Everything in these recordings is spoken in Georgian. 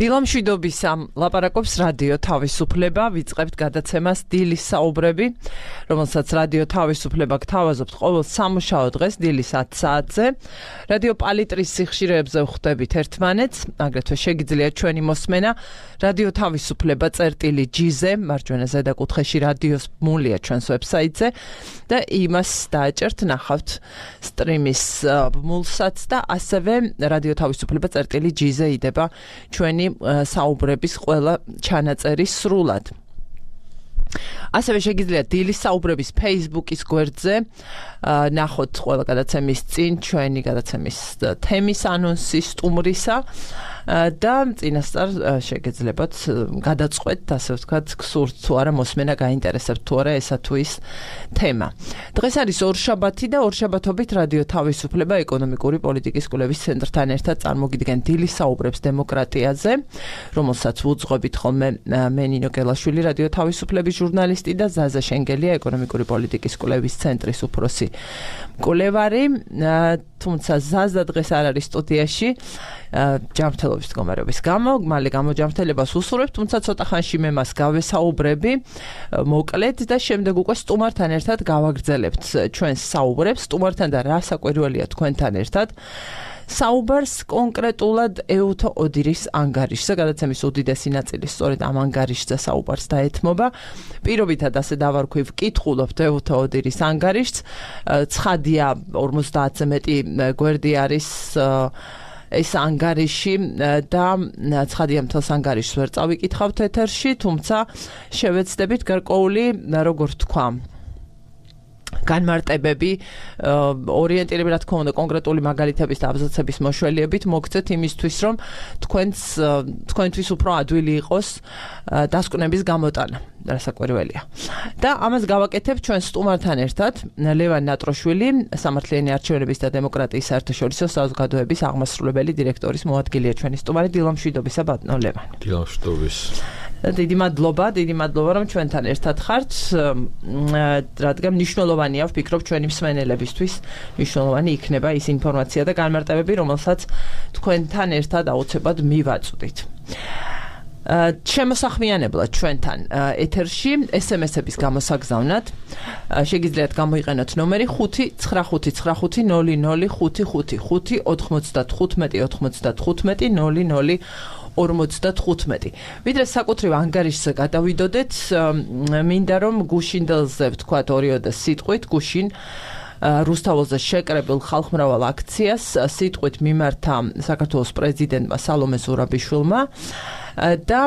დილამშვიდობის ლაპარაკობს რადიო თავისუფლება, ვიწყებთ გადაცემას დილის საუბრები, რომელსაც რადიო თავისუფლება გთავაზობთ ყოველ სამუშაო დღეს დილის 10 საათზე. რადიო პალიტრის სიხშირეებზე ვხვდებით ერთმანეთს, აგრეთვე შეგიძლიათ ჩვენი მოსმენა რადიო თავისუფლება წერტილი.gz-ზე, მარჯვენა ზედაკუთხეში რადიოს მულია ჩვენს ვებსაიტზე და იმას დააჭერთ, ნახავთ სტრიმის ბმულსაც და ასევე რადიო თავისუფლება წერტილი.gz-ზე იდება ჩვენი საუბრების ყველა ჩანაწერი სრულად. ასევე შეგიძლიათ დილის საუბრების Facebook-ის გვერდზე ნახოთ ყველა გადაცემის წინ ჩვენი გადაცემის თემის ანონსი სტუმრისა და წინასწარ შეგეძლებათ გადაწყვეტთ, ასე ვთქვათ, გსურთ თუ არა მოსმენა გაინტერესებთ თუ არა ესა თუ ის თემა. დღეს არის ორშაბათი და ორშაბათობით რადიო თავისუფლება ეკონომიკური პოლიტიკის კვლევის ცენტრთან ერთად წარმოგიდგენ დილის საუბრებს დემოკრატიაზე, რომელსაც ვუძღვებით ხოლმე მე ნინო გელაშვილი, რადიო თავისუფლების ჟურნალისტი და ზაზა შენგელია, ეკონომიკური პოლიტიკის კვლევის ცენტრის უფროსი მკვლევარი, თუმცა ზაზა დღეს არ არის სტუდიაში ჯანმრთელობის მდგომარეობის გამო, მალე გამოჯანმრთელებას უსურვებ, თუმცა ცოტა ხანში მე მას გავესაუბრები მოკლედ და შემდეგ უკვე სტუმართან ერთად გავაგრძელებთ ჩვენს საუბრებს, სტუმართან და რა საკვირველია თქვენთან ერთად. საუბარს კონკრეტულად ეუთო ოდირის ანგარიშზე, გადაცემის უდიდესი ნაწილი სწორედ ამ ანგარიშზე საუბარს დაეთმობა. პირობითად ასე დავარქვი, ვკითხულობთ ეუთო ოდირის ანგარიშს. ცხადია 50-ზე მეტი გვერდი არის ეს ანგარიში და ცხადია მთელს ანგარიშს ვერ წავიკითხავთ ეთერში, თუმცა შევეცდებით გარკვეული, როგორ თქვა, განმარტებები, ორიენტირები, რა თქმა უნდა, კონკრეტული მაგალითების და აბზაცების მოშველიებით მოგცეთ იმისთვის, რომ თქვენთვის უფრო ადვილი იყოს დასკვნების გამოტანა, რასაკვირველია. და ამას გავაკეთებ ჩვენ სტუმართან ერთად, ლევან ნატროშვილი, სამართლიანი არჩევნების და დემოკრატიის საერთაშორისო საზოგადოების აღმასრულებელი დირექტორის მოადგილეა ჩვენი სტუმარი. დილამშვიდობისა ბატონო ლევან. დილამშვიდობის. დიდი მადლობა, რომ ჩვენთან ერთად ხართ, რადგან მნიშვნელოვანია, ვფიქრობ, ჩვენი მსმენელებისთვის მნიშვნელოვანი იქნება ის ინფორმაცია და განმარტებები, რომელსაც თქვენთან ერთად აუცილებლად მივაწვდით. შემოსახმიანებლად ჩვენთან ეთერში SMS-ების გამოსაგზავნად შეგიძლიათ გამოიყენოთ ნომერი 59955009595 ვიდრე საკუთრივ ანგარიშზე გადავიდოდეთ, მინდა რომ გუშინდელზე ვთქვათ ორიოდე სიტყვით, გუშინ რუსთაველზე შეკრებილ ხალხმრავალ აქციას სიტყვით მიმართა საქართველოს პრეზიდენტმა სალომე ზურაბიშვილმა და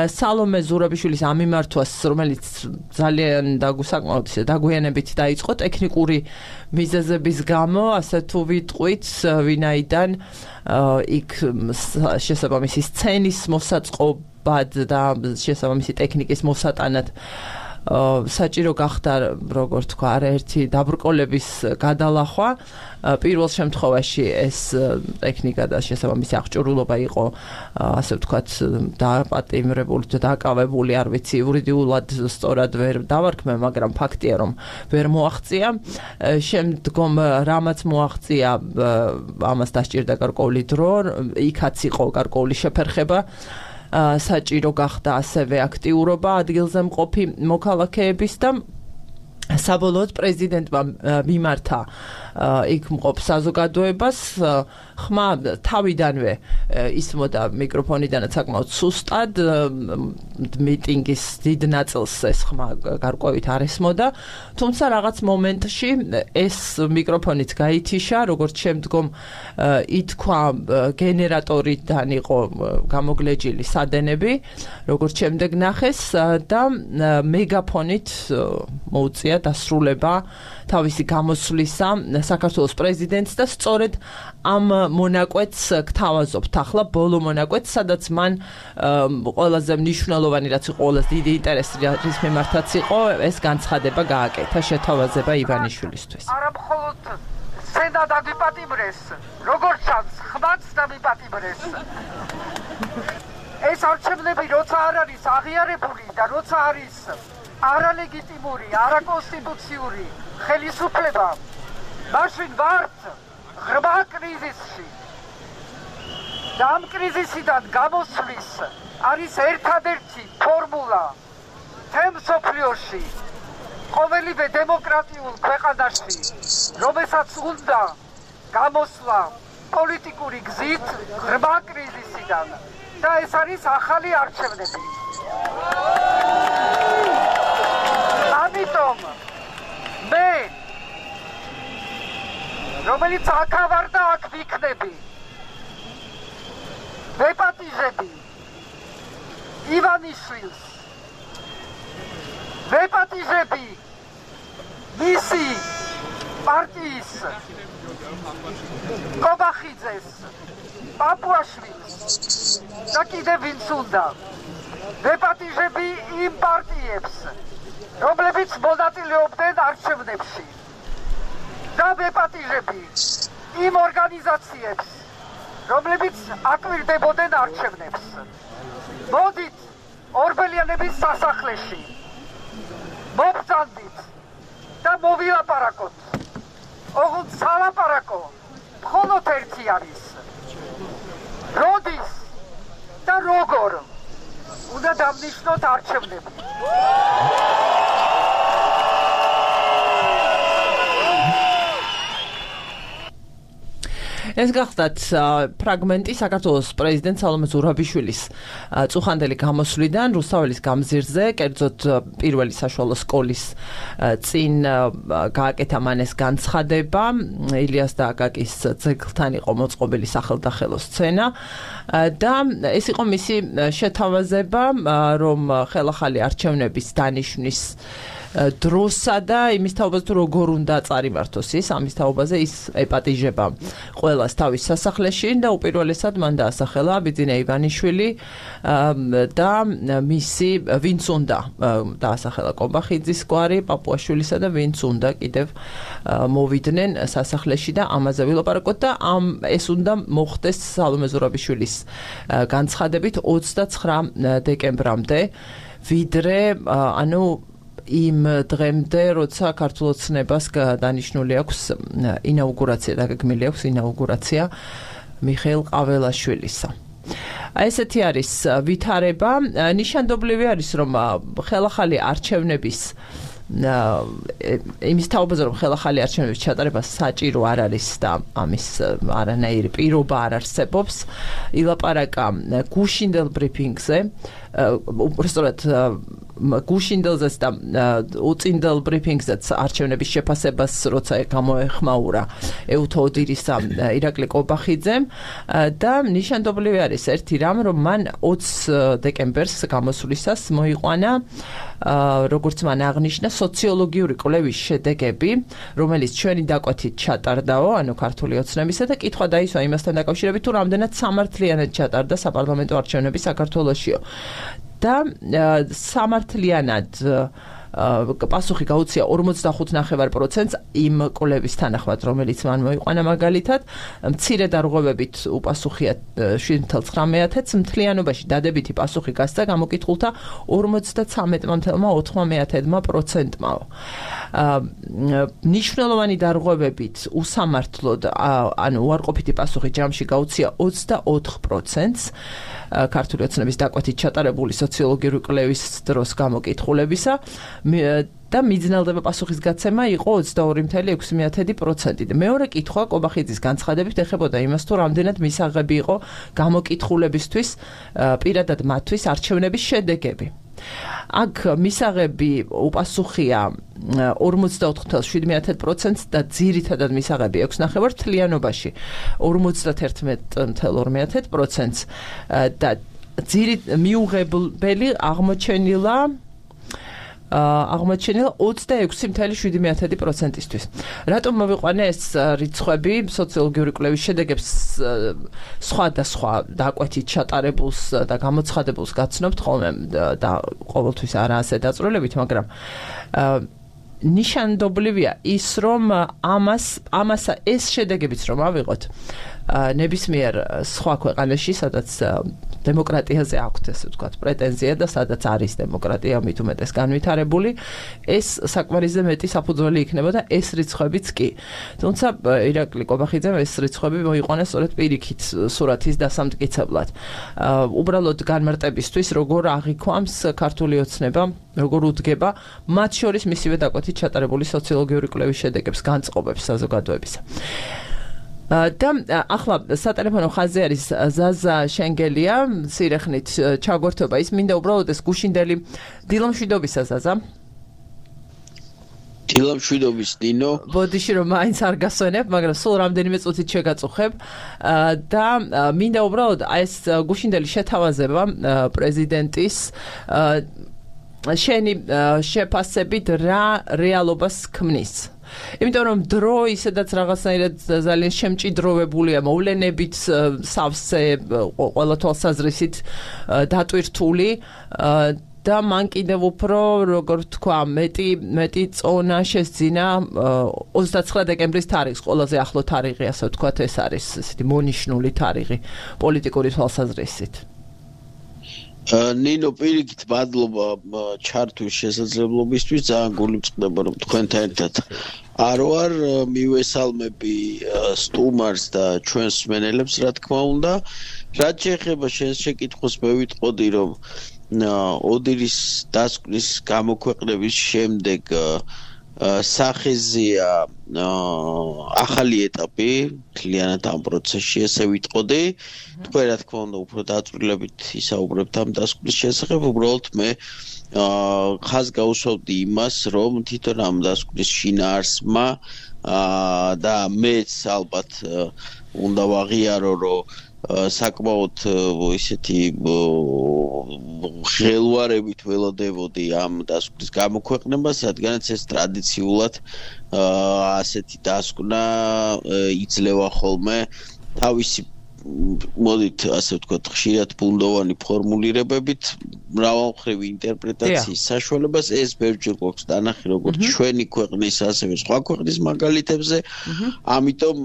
სალომე ზურაბიშვილის ამ მიმართვას, რომელიც ძალიან საკმაოდ დაგვიანებით დაიწყო ტექნიკური მიზეზების გამო, ასე თუ ვიტყვით, ვინაიდან იქ შესაბამისი სცენის მოსაწყობად და შესაბამისი ტექნიკის მოსატანად საჭირო გახდა, როგორ თქვა, არაერთი დაბრკოლების გადალახვა. პირველ შემთხვევაში ეს ტექნიკა და შესაბამისი აღჭურვილობა იყო, ასე ვთქვათ, დაპატიმრებული და დაკავებული, არ ვიცი, იურიდიულად სწორად ვერ დავარქმევ, მაგრამ ფაქტია, რომ ვერ მოაღწია. შემდგომ რამაც მოაღწია, ამას დასჭირდა გარკვეული დრო, იქაც იყო გარკვეული შეფერხება. საჭირო გახდა ასევე აქტიურობა ადგილზე მყოფი მოქალაქეების და საბოლოოდ პრეზიდენტმა მიმართა იქ მყოფ საზოგადოებას ხმა თავიდანვე ისმოდა მიკროფონიდანაც საკმაოდ სუსტად, მიტინგის დიდ ნაწილს ეს ხმა გარკვევით არ ესმოდა, თუმცა რაღაც მომენტში ეს მიკროფონიც გაითიშა, როგორც შემდგომ ითქვა, გენერატორიდან იყო გამოგლეჯილი სადენები, როგორც შემდეგ ნახეს და მეგაფონით მოუწია დასრულება თავისი გამოსვლისა საქართველოს პრეზიდენტს და სწორედ ამ მონაკვეთს გთავაზობთ ახლა, ბოლო მონაკვეთს, სადაც მან ყველაზე მნიშვნელოვანი, რაც იყო ყველაზე დიდი ინტერესი, რის მიმართაც იყო, ეს განცხადება გააკეთა შეთავაზება ივანიშვილისთვის. არა მხოლოდ სცენა დაგვიპატიმრეს, როგორც ჩანს, ხმაც დავიპატიმრეს. ეს არჩევნები როცა არ არის აღიარებული და როცა არის არალეგიტიმური, არაკონსტიტუციური ხელისუფლება, მაშინ ვართ ღრმა კრიზისში. და ამ კრიზისიდან გამოსვლის არის ერთადერთი ფორმულა თემ სოფლიოში ყოველივე დემოკრატიულ ქვეყანაში, რომელსაც უნდა გამოსვლა პოლიტიკური გზით ღრმა კრიზისიდან და ეს არის ახალი არჩევნები. ამიტომ მე რომელიც აქ და აქ ვიქნები ვეპატიჟები ივანიშვილს ვეპატიჟები მისი პარტიის კობახიძეს პაპუაშვილს და კიდევ ვინც უნდა ვეპატიჟები იმ პარტიებს რომლებიც მონაწილეობდნენ არჩევნებში და ვეპატიჟები იმ ორგანიზაციებს რომლებიც აკვირდებოდნენ არჩევნებს მოდით ორბელიანების სასახლეში მობრძანდით და მოვილაპარაკოთ ოღონდ სალაპარაკო მხოლოდ ერთი არის როდის და როგორ უნდა დამნიშნოთ არჩევნები ეს გახდათ ფრაგმენტი საქართველოს პრეზიდენტ სალომე ზურაბიშვილის წუხანდელი გამოსვლიდან რუსთაველის გამზირზე, კერძოდ პირველი საშუალო სკოლის წინ გააკეთა მან ეს განცხადება, ილიას და აკაკის ძეგლთან იყო მოწყობილი სახელდახელო სცენა და ეს იყო მისი შეთავაზება, რომ ხელახალი არჩევნების დანიშვნის დროსა და იმის თაობაზე თუ როგორ უნდა წარიმართოს ის ამის თაობაზე ის ეპატიჟება ყველას თავის სასახლეში და უპირველესად მან დაასახელა ბიძინა ივანიშვილი და მისი ვინც უნდა დაასახელა კობახიძის გვარი პაპუაშვილისა და ვინც უნდა კიდევ მოვიდნენ სასახლეში და ამაზე ვილაპარაკოთ და ეს უნდა მოხდეს სალომე ზურაბიშვილის განცხადებით 29 დეკემბრამდე ვიდრე ანუ იმ დღემდე, როცა ქართულ ოცნებას დანიშნული აქვს ინაუგურაცია, დაგეგმილი აქვს ინაუგურაცია მიხეილ ყაველაშვილისა. ესეთი არის ვითარება, ნიშანდობლივი არის, რომ ხელახალი არჩევნების იმის თაობაზე, რომ ხელახალი არჩევნების ჩატარება საჭირო არ არის და ამის არანაირი პირობა არ არსებობს, ილაპარაკა გუშინდელ ბრიფინგზე, უბრალოდ გუშინდელზეც და უწინდელ ბრიფინგზეც არჩევნების შეფასებას როცა გამოეხმაურა ეუთო ოდირისა ირაკლი კობახიძემ და ნიშანდობლივი არის ერთი რამ, რომ მან 20 დეკემბერს გამოსვლისას მოიყვანა როგორც მან აღნიშნა სოციოლოგიური კვლევის შედეგები, რომელიც ჩვენი დაკვეთით ჩატარდაო, ანუ ქართული ოცნებისა და კითხვა დაისვა იმასთან დაკავშირებით, თუ რამდენად სამართლიანად ჩატარდა საპარლამენტო არჩევნები საქართველოშიო. და სამართლიანად პასუხი გაუწია 45.9%-ს იმ კვლევის თანახმად, რომელიც მან მოიყვანა მაგალითად, მცირე დარღვევებით უპასუხია 7.9%-ს, მთლიანობაში დადებითი პასუხი გასცა გამოკითხულთა 53.4%-მა. ნიშნულოვანი დარღვევებით უსამართლოდ, ანუ უარყოფითი პასუხი ჯამში გაუწია 24%-ს ქართული ოცნების დაკვეთით ჩატარებული სოციოლოგიური კვლევის დროს გამოკითხულებისა და მიძნელდება პასუხის გაცემა იყო 22.6%. მეორე კითხვა კობახიძის განცხადებით ეხებოდა იმას, თუ რამდენად მისაღები იყო გამოკითხულებისთვის პირადად მათთვის არჩევნების შედეგები. აქ მისაღები უპასუხია 44.7%-ს და ძირითადად მისაღები 6.9 თლიანობაში 51.2%-ს და მიუღებელი აღმოჩენილა 26.7%-ისთვის. რატომ მოვიყვანე ეს რიცხვები სოციოლოგიური კვლევის შედეგებს სხვადასხვა დაკვეთით ჩატარებულს და გამოცხადებულს გაცნობთ ხოლმე და ყოველთვის არა ასე დაწვრილებით, მაგრამ ნიშანდობლივია ის, რომ ამასა ეს შედეგებიც რომ ავიღოთ, ნებისმიერ სხვა ქვეყანაში, სადაც დემოკრატიაზე აქვთ ესე ვთქვათ პრეტენზია და სადაც არის დემოკრატია მით უმეტეს განვითარებული, ეს საკმარისზე მეტი საფუძველი იქნება და ეს რიცხვებიც კი. თუმცა ირაკლი კობახიძემ ეს რიცხვები მოიყვანა სწორედ პირიქით სურათის დასამტკიცებლად. უბრალოდ განმარტებისთვის, როგორ აღიქვამს ქართული ოცნება, როგორ უდგება მათ შორის მისივე დაკვეთით ჩატარებული სოციოლოგიური კვლევის შედეგებს, განწყობებს საზოგადოებისა. და ახლა სატელეფონო ხაზზე არის ზაზა შენგელია, სირეხნით ჩაგვერთვება ის, მინდა უბრალოდ ეს გუშინდელი დილამშვიდობისა ზაზა. დილამშვიდობის დინო. ბოდიში რომ მაინც არ გასვენებ, მაგრამ სულ რამდენიმე წუთით შეგაწუხებ და მინდა უბრალოდ ეს გუშინდელი შეთავაზება პრეზიდენტის შენი შეფასებით რა რეალობას ქმნის. იმიტომ რომ დრო ისედაც რაღაცნაირად ძალიან შემჭიდროვებულია მოვლენებით, სავსე ყველა თვალსაზრისით დატვირთული და მან კიდევ უფრო, როგორ თქვა, მეტი წონა შესძინა 29 დეკემბრის თარიღს, ყველაზე ახლო თარიღი, ასე ვთქვათ, ეს არის ესეთი მონიშნული თარიღი პოლიტიკური თვალსაზრისით. ნინო, პირიქით მადლობა ჩართვის შესაძლებლობისთვის, ძალიან გულივწყდება რომ თქვენთან ერთად არ ვარ, მივესალმები სტუმარს და ჩვენს მსმენელებს, რა თქმა უნდა. რაც შეეხება შენს შეკითხვას, მე ვიტყოდი რომ ოდირის დასკვნის გამოქვეყნების შემდეგ სახეზია ახალი ეტაპი მთლიანად ამ პროცესში, ესე ვიტყოდი. თქვენ რა თქმა უნდა უფრო დაწვრილებით ისაუბრებთ ამ დასკვნის შესახებ, უბრალოდ მე ხაზს გაუსვავდი იმას, რომ თვითონ ამ დასკვნის შინაარსმა და მეც ალბათ უნდა ვაღიარო, რომ საკმაოდ ისეთი ხელვარებით ველოდებოდი ამ დასკვნის გამოქვეყნებას, რადგანაც ეს ტრადიციულად ასეთი დასკვნა იძლევა ხოლმე თავისი მოდით ასე ვთქვათ, ხშირად ბუნდოვანი ფორმულირებებით, მრავალმხრივი ინტერპრეტაციის საშუალებას. ეს ბევრჯერ გვაქვს დანახი როგორც ჩვენი ქვეყნის, ასევე სხვა ქვეყნის მაგალითებზე. ამიტომ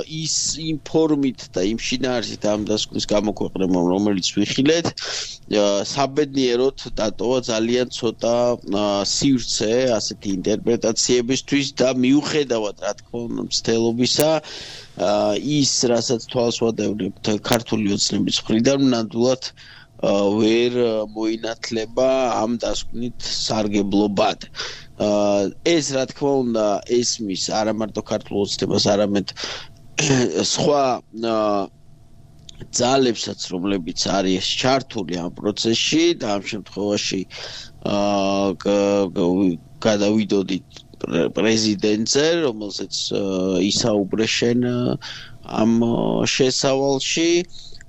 ის იმ ფორმით და იმ შინაარსით ამ დასკვნის გამოქვეყნებამ, რომელიც ვიხილეთ, საბედნიეროდ დატოვა ძალიან ცოტა სივრცე ასეთი ინტერპრეტაციებისთვის და მიუხედავად, რა თქმა უნდა, მცდელობისა, ის, რასაც თვალს ვადევნებთ ქართული ოცნების მხრიდან, ნამდვილად ვერ მოინათლება ამ დასკვნით სარგებლობად. ეს, რა თქმა უნდა, ესმის არა მარტო ქართულ ოცნებას, არამედ სხვა ძალებსაც, რომლებიც არის ჩართული ამ პროცესში და ამ შემთხვევაში გადავიდოდით პრეზიდენტზე, რომელსაც ისაუბრე შენ ამ შესავალში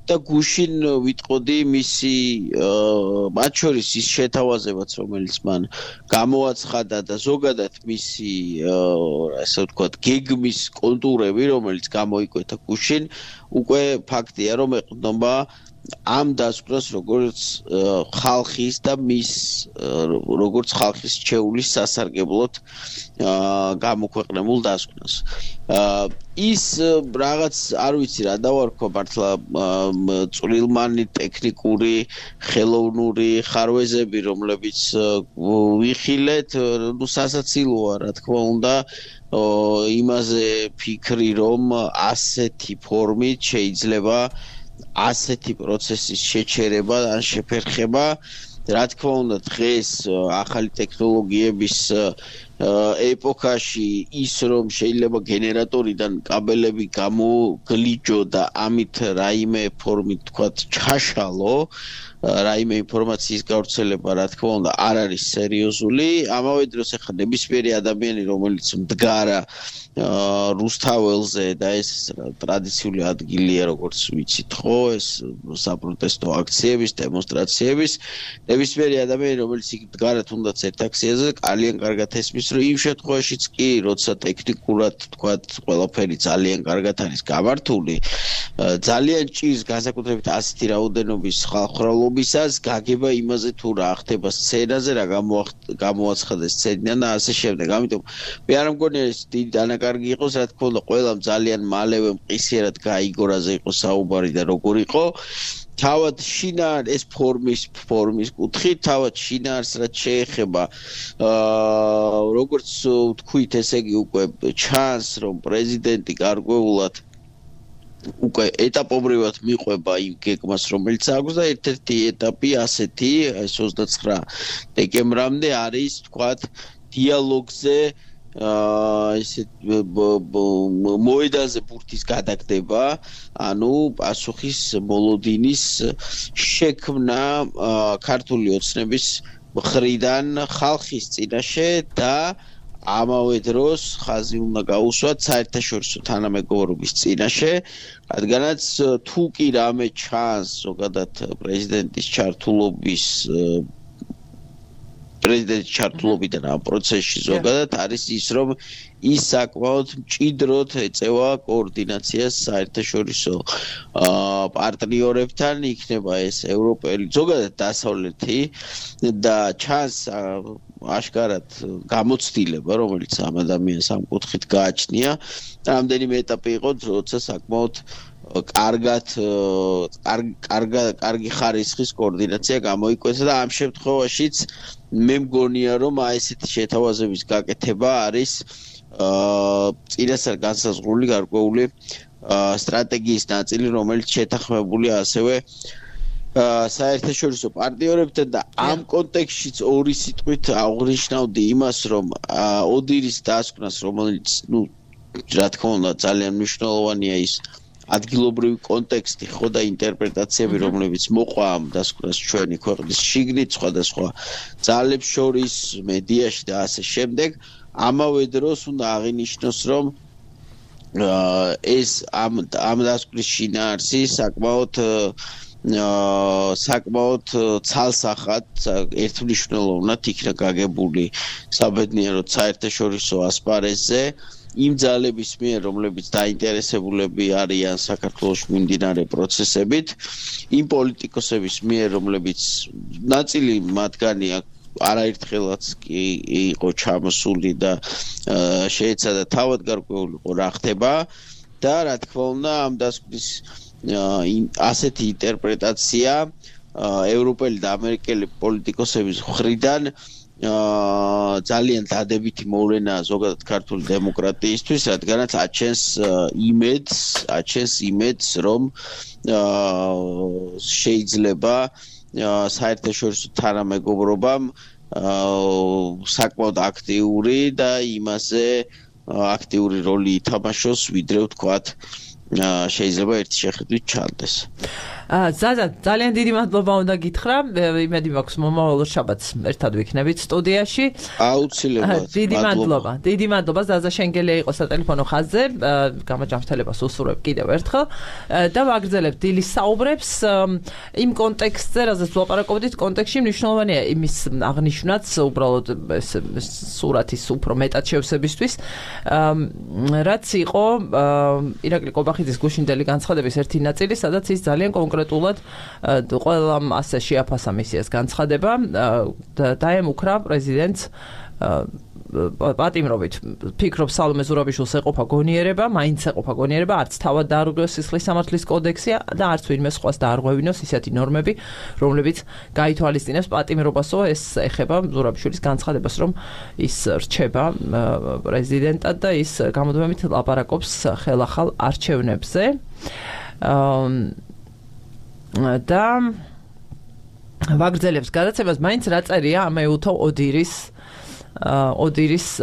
და გუშინ ვიტყოდი მისი მათ შორის ის შეთავაზებაც, რომელიც მან გამოაცხადა და ზოგადად მისი ასე ვთქვათ, გეგმის კონტურები, რომელიც გამოიკვეთა გუშინ, უკვე ფაქტია, რომ ეყრდნობა ამ დასკვნას როგორც ხალხის და მის როგორც ხალხის ჩეულის სასარგებლოდ გამოქვეყნებულ დასკვნას. ის რაღაც არ ვიცი რა დავარქვა მართლა წვრილმანი ტექნიკური, ხელოვნური ხარვეზები, რომლებიც ვიხილეთ, ნუ სასაცილოა, რა თქმა უნდა, იმაზე ფიქრი, რომ ასეთი ფორმით შეიძლება ასეთი პროცესის შეჩერება ან შეფერხება. რა თქმა უნდა, დღეს ახალი ტექნოლოგიების ეპოქაში ის რომ შეიძლება გენერატორიდან კაბელები გამოგლიჯო და ამით რაიმე ფორმით თქვათ ჩაშალო, რაიმე ინფორმაციის გავრცელება, რა თქმა უნდა, არ არის სერიოზული. ამავე დროს ახლა ნებისმიერი ადამიანი, რომელიც მდგარა რუსთაველზე და ეს ტრადიციული ადგილია, როგორც ვიცით ხო, ეს საპროტესტო აქციების, დემონსტრაციების, ნებისმიერი ადამიანი, რომელიც იქ მდგარა თუნდაც ერთ აქციაზე, ძალიან კარგად ესმის, რომ იმ შემთხვევაშიც კი, როცა ტექნიკურად თქვათ, ყველაფერი ძალიან კარგად არის გამართული, ძალიან ჭირს განსაკუთრებით ასეთი რაოდენობის ხალხმრავლობისას გაგება იმაზე თუ რა ხდება სცენაზე, რა გამოაცხადეს სცენიდან და ასე შემდეგ. ამიტომ მე არ მგონია ეს დიდი კარგი იყოს, რა თქმა უნდა, ყველამ ძალიან მალევე მყისიერად გაიგო რაზე იყო საუბარი და როგორ იყო. თავად შინაარ ეს ფორმის კუთხით, თავად შინაარს რაც შეეხება როგორც თქვით, ესე იგი უკვე ჩანს, რომ პრეზიდენტი გარკვეულად უკვე ეტაპობრივად მიყვება იმ გეგმას, რომელიც აქვს და ერთ-ერთი ეტაპი ასეთი, ეს 29 დეკემბრამდე არის, თქვათ, დიალოგზე ესე მოედანზე ბურთის გადაგდება, ანუ პასუხის მოლოდინის შექმნა ქართული ოცნების მხრიდან ხალხის წინაშე და ამავე დროს ხაზი უნდა გაუსვათ საერთაშორისო თანამეგობრობის წინაშე, რადგანაც თუ კი რამე ჩანს ზოგადად პრეზიდენტის ჩართულობიდან ამ პროცესში ზოგადად არის ის, რომ ის საკმაოდ მჭიდროდ ეწევა კოორდინაციას საერთაშორისო პარტნიორებთან, იქნება ეს ევროპელი, ზოგადად დასავლეთი და ჩანს აშკარად გამოცდილება, რომელიც ამ ადამიანს ამ კუთხით გააჩნია. რამდენიმე ეტაპი იყო, როცა საკმაოდ კარგი ხარისხის კოორდინაცია გამოიკვეთა და ამ შემთხვევაშიც მე მგონია, რომ ესეთი შეთავაზების გაკეთება არის წინასწარ განსაზღვრული გარკვეული სტრატეგიის ნაწილი, რომელიც შეთანხმებულია ასევე საერთაშორისო პარტნიორებთან და ამ კონტექსტშიც ორი სიტყვით აღნიშნავდი იმას, რომ ოდირის დასკვნას, რომელიც, რა თქმა უნდა, ძალიან მნიშვნელოვანია ის ადგილობრივი კონტექსტი ხო და ინტერპრეტაციები, რომლებიც მოყვა ამ დასკვნას ჩვენი ქვეყნის შიგნით, სხვადასხვა ძალებს შორის, მედიაში და ასე შემდეგ, ამავე დროს უნდა აღინიშნოს, რომ ეს ამ დასკვნის შინაარსი საკმაოდ ცალსახად, ერთმნიშვნელოვნად იქნა გაგებული საბედნიეროდ საერთაშორისო ასპარეზზე იმ ძალების მიერ, რომლებიც დაინტერესებულები არიან საქართველოში მიმდინარე პროცესებით, იმ პოლიტიკოსების მიერ, რომლებიც ნაწილი მათგანი არაერთხელაც კი იყო ჩამოსული და შეეცადა თავად გარკვეულიყო რა ხდება და რა თქმა უნდა ამ დასკვნის ასეთი ინტერპრეტაცია ევროპელი და ამერიკელი პოლიტიკოსების მხრიდან ძალიან დადებითი მოვლენაა ზოგადად ქართული დემოკრატიისთვის, რადგანაც აჩენს იმედს, რომ შეიძლება საერთაშორისო თანამეგობრობამ საკმაოდ აქტიური და იმაზე აქტიური როლი ითამაშოს, ვიდრე ვთქვათ, შეიძლება ერთი შეხედვით ჩანდეს. ზაზა, ძალიან დიდი მადლობა უნდა გითხრა. იმედი მაქვს მომავალ შაბათს ერთად ვიქნებით სტუდიაში. აუცილებლად. დიდი მადლობა. ზაზა შენგელია იყო სატელეფონო ხაზზე. გამაჯამრთელებას უსურვებ კიდევ ერთხელ და ვაგრძელებთ დილის საუბრებს იმ კონტექსტზე, რაზეც ვლაპარაკობდით, კონტექსტში მნიშვნელოვანია იმის აღნიშვნაც, უბრალოდ სურათის უფრო მეტად შევსებისთვის, რაც იყო ირაკლი კობახიძის გუშინდელი განცხადების ერთი ნაწილი, სადაც ის ძალიან კონკრეტულად ყველამ ასე შეაფასა მისიას განცხადება და დაემუქრა პრეზიდენტს პატიმრობით. ფიქრობ სალომე ზურაბიშვილს ეყოფა გონიერება, მაინც ეყოფა გონიერება, არც თავად დაარღვევს სისხლის სამართლის კოდექსი და არც ვინმე სხვას დაარღვევინოს ისეთი ნორმები, რომლებიც გაითვალისწინებს პატიმრობასო. ეს ეხება ზურაბიშვილის განცხადებას, რომ ის რჩება პრეზიდენტად და ის გამოდმებით ლაპარაკობს ხელახალ არჩევნებზე. და ვაგრძელებს გადაცემას, მაინც რა წერია ამეუთო ოდირის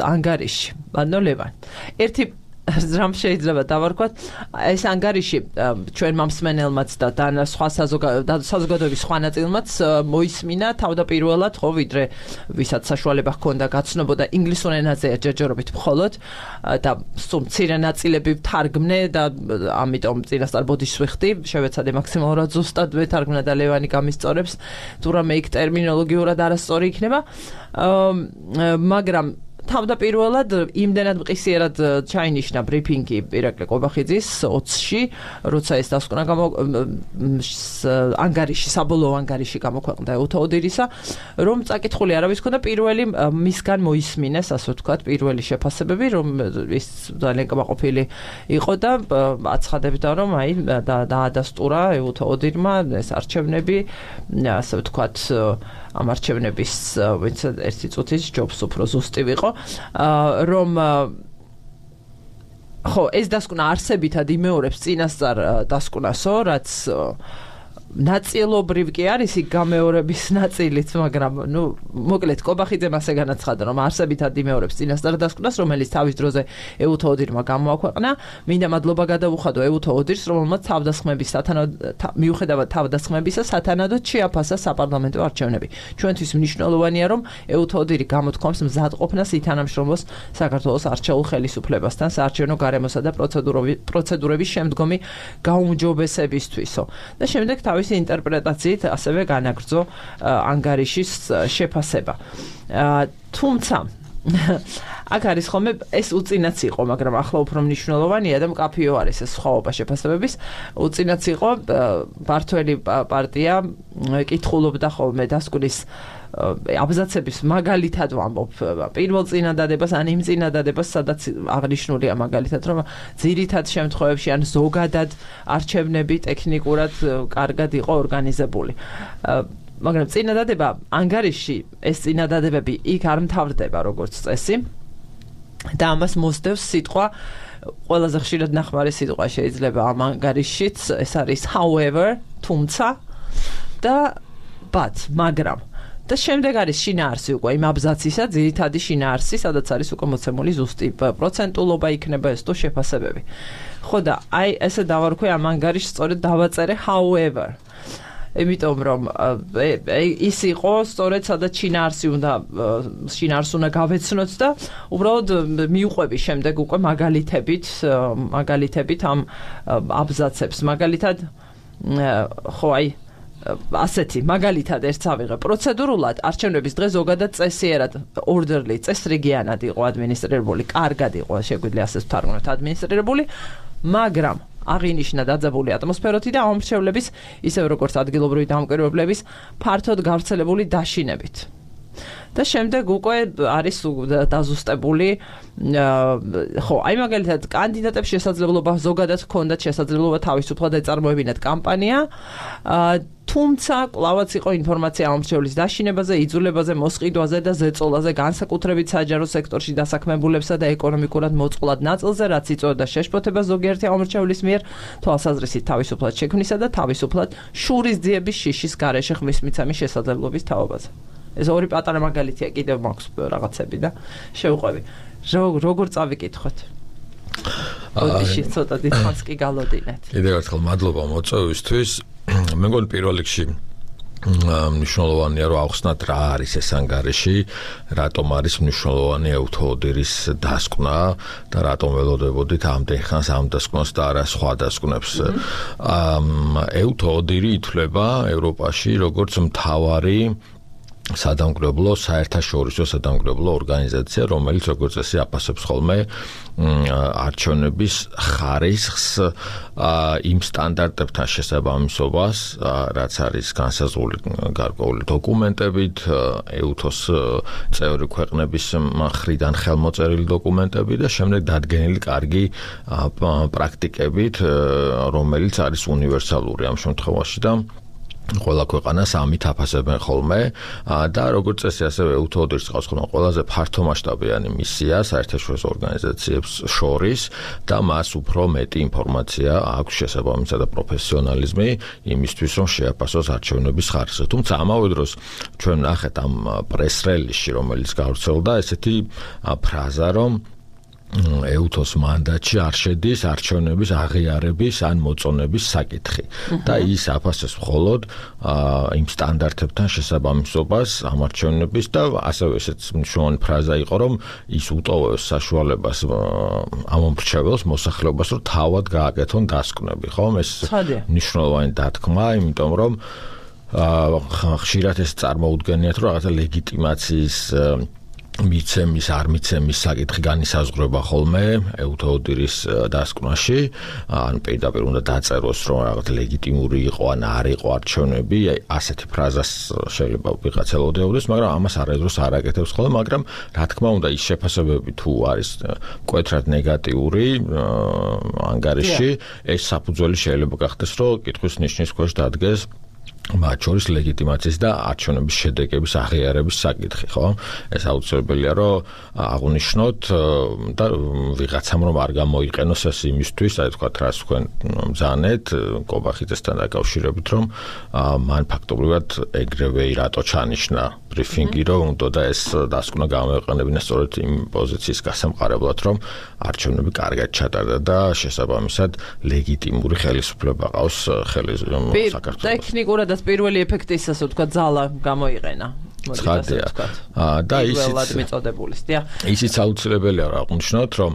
ანგარიში. ანუ ლევან. ერთი რამ შეიძლება დავარქვათ, ეს ანგარიში ჩვენმა მსმენელმაც და სხვა საზოგადოების სხვა ნაწილმაც მოისმინა თავდაპირველად, ხო, ვიდრე ვისაც საშუალება ჰქონდა გაცნობოდა ინგლისურ ენაზეა ჯერჯერობით მხოლოდ და სულ მცირე ნაწილები ვთარგმნე და ამიტომ წინასწარ ბოდიშს ვიხდი, შევეცადე მაქსიმალურად ზუსტად ვეთარგმნა და ლევანი გამისწორებს, თუ რამე იქ ტერმინოლოგიურად არასწორი იქნება, მაგრამ თავდაპირველად იმდენად მყისიერად ჩაინიშნა ბრიფინგი ირაკლი ყობახიძის 20-ში, როცა ეს დასკვნა ანგარიში, საბოლოო ანგარიში გამოქვეყნდა ეუთოოდირისა, რომ წაკითხული არავის ქონდა პირველი მისგან მოისმინეს, ასე ვთქვათ, პირველი შეფასებები, რომ ის ძალიან კმაყოფილი იყო და აცხადებდა, რომ აი დაადასტურა ეუთოოდირმა ეს არჩევნები, ასე ვთქვათ, ამ არჩევნების ვინც ერთი წუთის ჯობს უფრო ზუსტი ვიყო, რომ ხო, ეს დასკვნა არსებითად იმეორებს წინასწარ დასკვნასო, რაც ნაწილობრივ კი არის იქ გამეორების ნაწილიც, მაგრამ ნუ მოკლედ ყობახიძემ ასე განაცხადა, რომ არსებითად იმეორებს წინასწარ დასკვნას, რომელიც თავის დროზე ეუთოოდირმა გამოაქვეყნა. მინდა მადლობა გადავუხადო ეუთოოდირს, რომელმაც მიუხედავად თავდასხმებისა სათანადოდ შეაფასა საპარლამენტო არჩევნები. ჩვენთვის მნიშვნელოვანია, რომ ეუთოოდირი გამოთქვამს მზადყოფნას ითანამშრომლოს საქართველოს არჩეულ ხელისუფლებასთან საარჩევნო გარემოსა და პროცედურების შემდგომი გაუმჯობესებისთვისო. და შემდეგ თავისი ინტერპრეტაციით ასევე განაგრძო ანგარიშის შეფასება. თუმცა აქ არის ხოლმე ეს უწინაც იყო, მაგრამ ახლა უფრო მნიშვნელოვანია და მკაფიო არის ეს სხვაობა შეფასებების. უწინაც იყო მართველი პარტია კითხულობდა ხოლმე დასკვნის აბზაცების მაგალითად ვამბობ პირველ წინადადებას ან იმ წინადადებას, სადაც აღნიშნულია მაგალითად, რომ ძირითად შემთხვევებში ან ზოგადად არჩევნები ტექნიკურად კარგად იყო ორგანიზებული. მაგრამ წინადადება ანგარიში, ეს წინადადებები იქ არ მთავრდება როგორც წესი და ამას მოსდევს სიტყვა, ყველაზე ხშირად ნახმარი სიტყვა შეიძლება ამ ანგარიშშიც, ეს არის however, თუმცა და but, მაგრამ და შემდეგ არის შინაარსი უკვე იმ აბზაცისა, ძირითადი შინაარსი, სადაც არის უკვე მოცემული ზუსტი პროცენტულობა იქნება ეს თუ შეფასებები. ხო და აი ესე დავარქვი ამ ანგარიშს სწორედ დავაწერე however. იმიტომ რომ ის იყო სწორედ სადაც შინაარსი უნდა გავეცნოთ და უბრალოდ მიუყვები შემდეგ უკვე მაგალითებით ამ აბზაცებს. მაგალითად ხო აი ასეთი მაგალითად ერთს ავიღე. პროცედურულად არჩევნების დღე ზოგადად წესიერად ორდერლი, წესრიგიანად იყო ადმინისტრირებული, კარგად იყო, შეგვიძლია ასე ვთარგმნოთ ადმინისტრირებული, მაგრამ აღინიშნა დაძაბული ატმოსფეროთი და ამომრჩევლების, ისევ როგორც ადგილობრივი დამკვირვებლების ფართოდ გავრცელებული დაშინებით. და შემდეგ უკვე არის დაზუსტებული, ხო, აი მაგალითად კანდიდატებს შესაძლებლობა ზოგადად ჰქონდათ შესაძლებლობა თავისუფლად ეწარმოებინათ კამპანია, თუმცა კვლავაც იყო ინფორმაცია ამომრჩევლის დაშინებაზე, იძულებაზე, მოსყიდვაზე და ზეწოლაზე, განსაკუთრებით საჯარო სექტორში დასაქმებულებსა და ეკონომიკურად მოწყვლად ნაწილზე, რაც იწვევდა შეშფოთებას ზოგიერთი ამომრჩევლის მიერ თვალსაზრისით თავისუფლად შექმნისა და თავისუფლად შურისძიების შიშის გარეშე ხმის მიცემის შესაძლებლობის თაობაზე. ეს ორი პატარა მაგალითია, კიდევ მაქვს რაღაცები და შევყვები. როგორ წავიკითხოთ? ოდიში ცოტა დიდხანს კი გალოდინეთ. კიდევ ერთხელ მადლობა მოწვევისთვის. მე მგონი პირველ რიგში მნიშვნელოვანია რომ ავხსნათ რა არის ეს ანგარიში, რატომ არის მნიშვნელოვანი ეუთოოდირის დასკვნა და რატომ ველოდებოდით ამდენ ხანს ამ დასკვნას და არა სხვა დასკვნებს. ეუთოოდირი ითვლება ევროპაში როგორც მთავარი სადამკვირვებლო, საერთაშორისო სადამკვირვებლო ორგანიზაცია, რომელიც როგორც წესი აფასებს ხოლმე არჩევნების ხარისხს იმ სტანდარტებთან შესაბამისობას, რაც არის განსაზღვრული გარკვეული დოკუმენტებით, ეუთოს წევრი ქვეყნების მხრიდან ხელმოწერილი დოკუმენტები და შემდეგ დადგენილი კარგი პრაქტიკებით, რომელიც არის უნივერსალური ამ შემთხვევაში და ყველა ქვეყანას ამით აფასებენ ხოლმე და როგორც წესი ასევე ეუთოოდირს ყავს ხოლმე ყველაზე ფართომასშტაბიანი მისია საერთაშორისო ორგანიზაციებს შორის და მას უფრო მეტი ინფორმაცია აქვს შესაბამისად და პროფესიონალიზმი იმისთვის რომ შეაფასოს არჩევნების ხარისხი. თუმცა ამავე დროს ჩვენ ნახეთ ამ პრეს-რელიზში, რომელიც გავრცელდა, ესეთი ფრაზა, რომ ეუთოს მანდატში არ შედის არჩევნების აღიარების ან მოწონების საკითხი და ის აფასებს მხოლოდ იმ სტანდარტებთან შესაბამისობას ამ არჩევნების და ასევე ესეც მნიშვნელოვანი ფრაზა იყო, რომ ის უტოვებს საშუალებას ამომრჩეველს მოსახლეობას, რომ თავად გააკეთონ დასკვნები, ხო? ეს მნიშვნელოვანი დათქმა, იმიტომ რომ ხშირად ეს წარმოუდგენიათ, რომ რაღაცა ლეგიტიმაციის მიცემის არ მიცემის საკითხი განისაზღვრება ხოლმე ეუთოოდირის დასკვნაში ან პირდაპირ უნდა დაწეროს რომ რაღაც ლეგიტიმური იყო ან არ იყო არჩევნები ასეთი ფრაზას შეიძლება ვიღაცა ელოდებოდეს მაგრამ ამას არასდროს არ აკეთებს ხოლმე მაგრამ რა თქმა უნდა ის შეფასებები თუ არის მკვეთრად ნეგატიური ანგარიში ეს საფუძველი შეიძლება გახდეს რომ კითხვის ნიშნის ქვეშ დადგეს მათ შორის ლეგიტიმაციის და არჩევნების შედეგების აღიარების საკითხი, ხო? ეს აუცილებელია, რომ აღნიშნოთ და ვიღაცამ რომ არ გამოიყენოს ეს იმისთვის, აი თქვა რას თქვენ მზანეთ კობახიძესთან დაკავშირებით, რომ მან ფაქტობრივად ეგრევე რატო ჩანიშნა ბრიფინგი, რომ უნდა და ეს დასკვნა გამოეყენებინა სწორედ იმ პოზიციის გასამყარებლად, რომ არჩევნები კარგად ჩატარდა და შესაბამისად ლეგიტიმური ხელისუფლება ყავს საქართველოს. ტექნიკურად პირველი ეფექტის ასე ვთქვათ ძალა გამოიყენა. ცხადია. და ისიც აუცილებელია რა აღნიშნოთ, რომ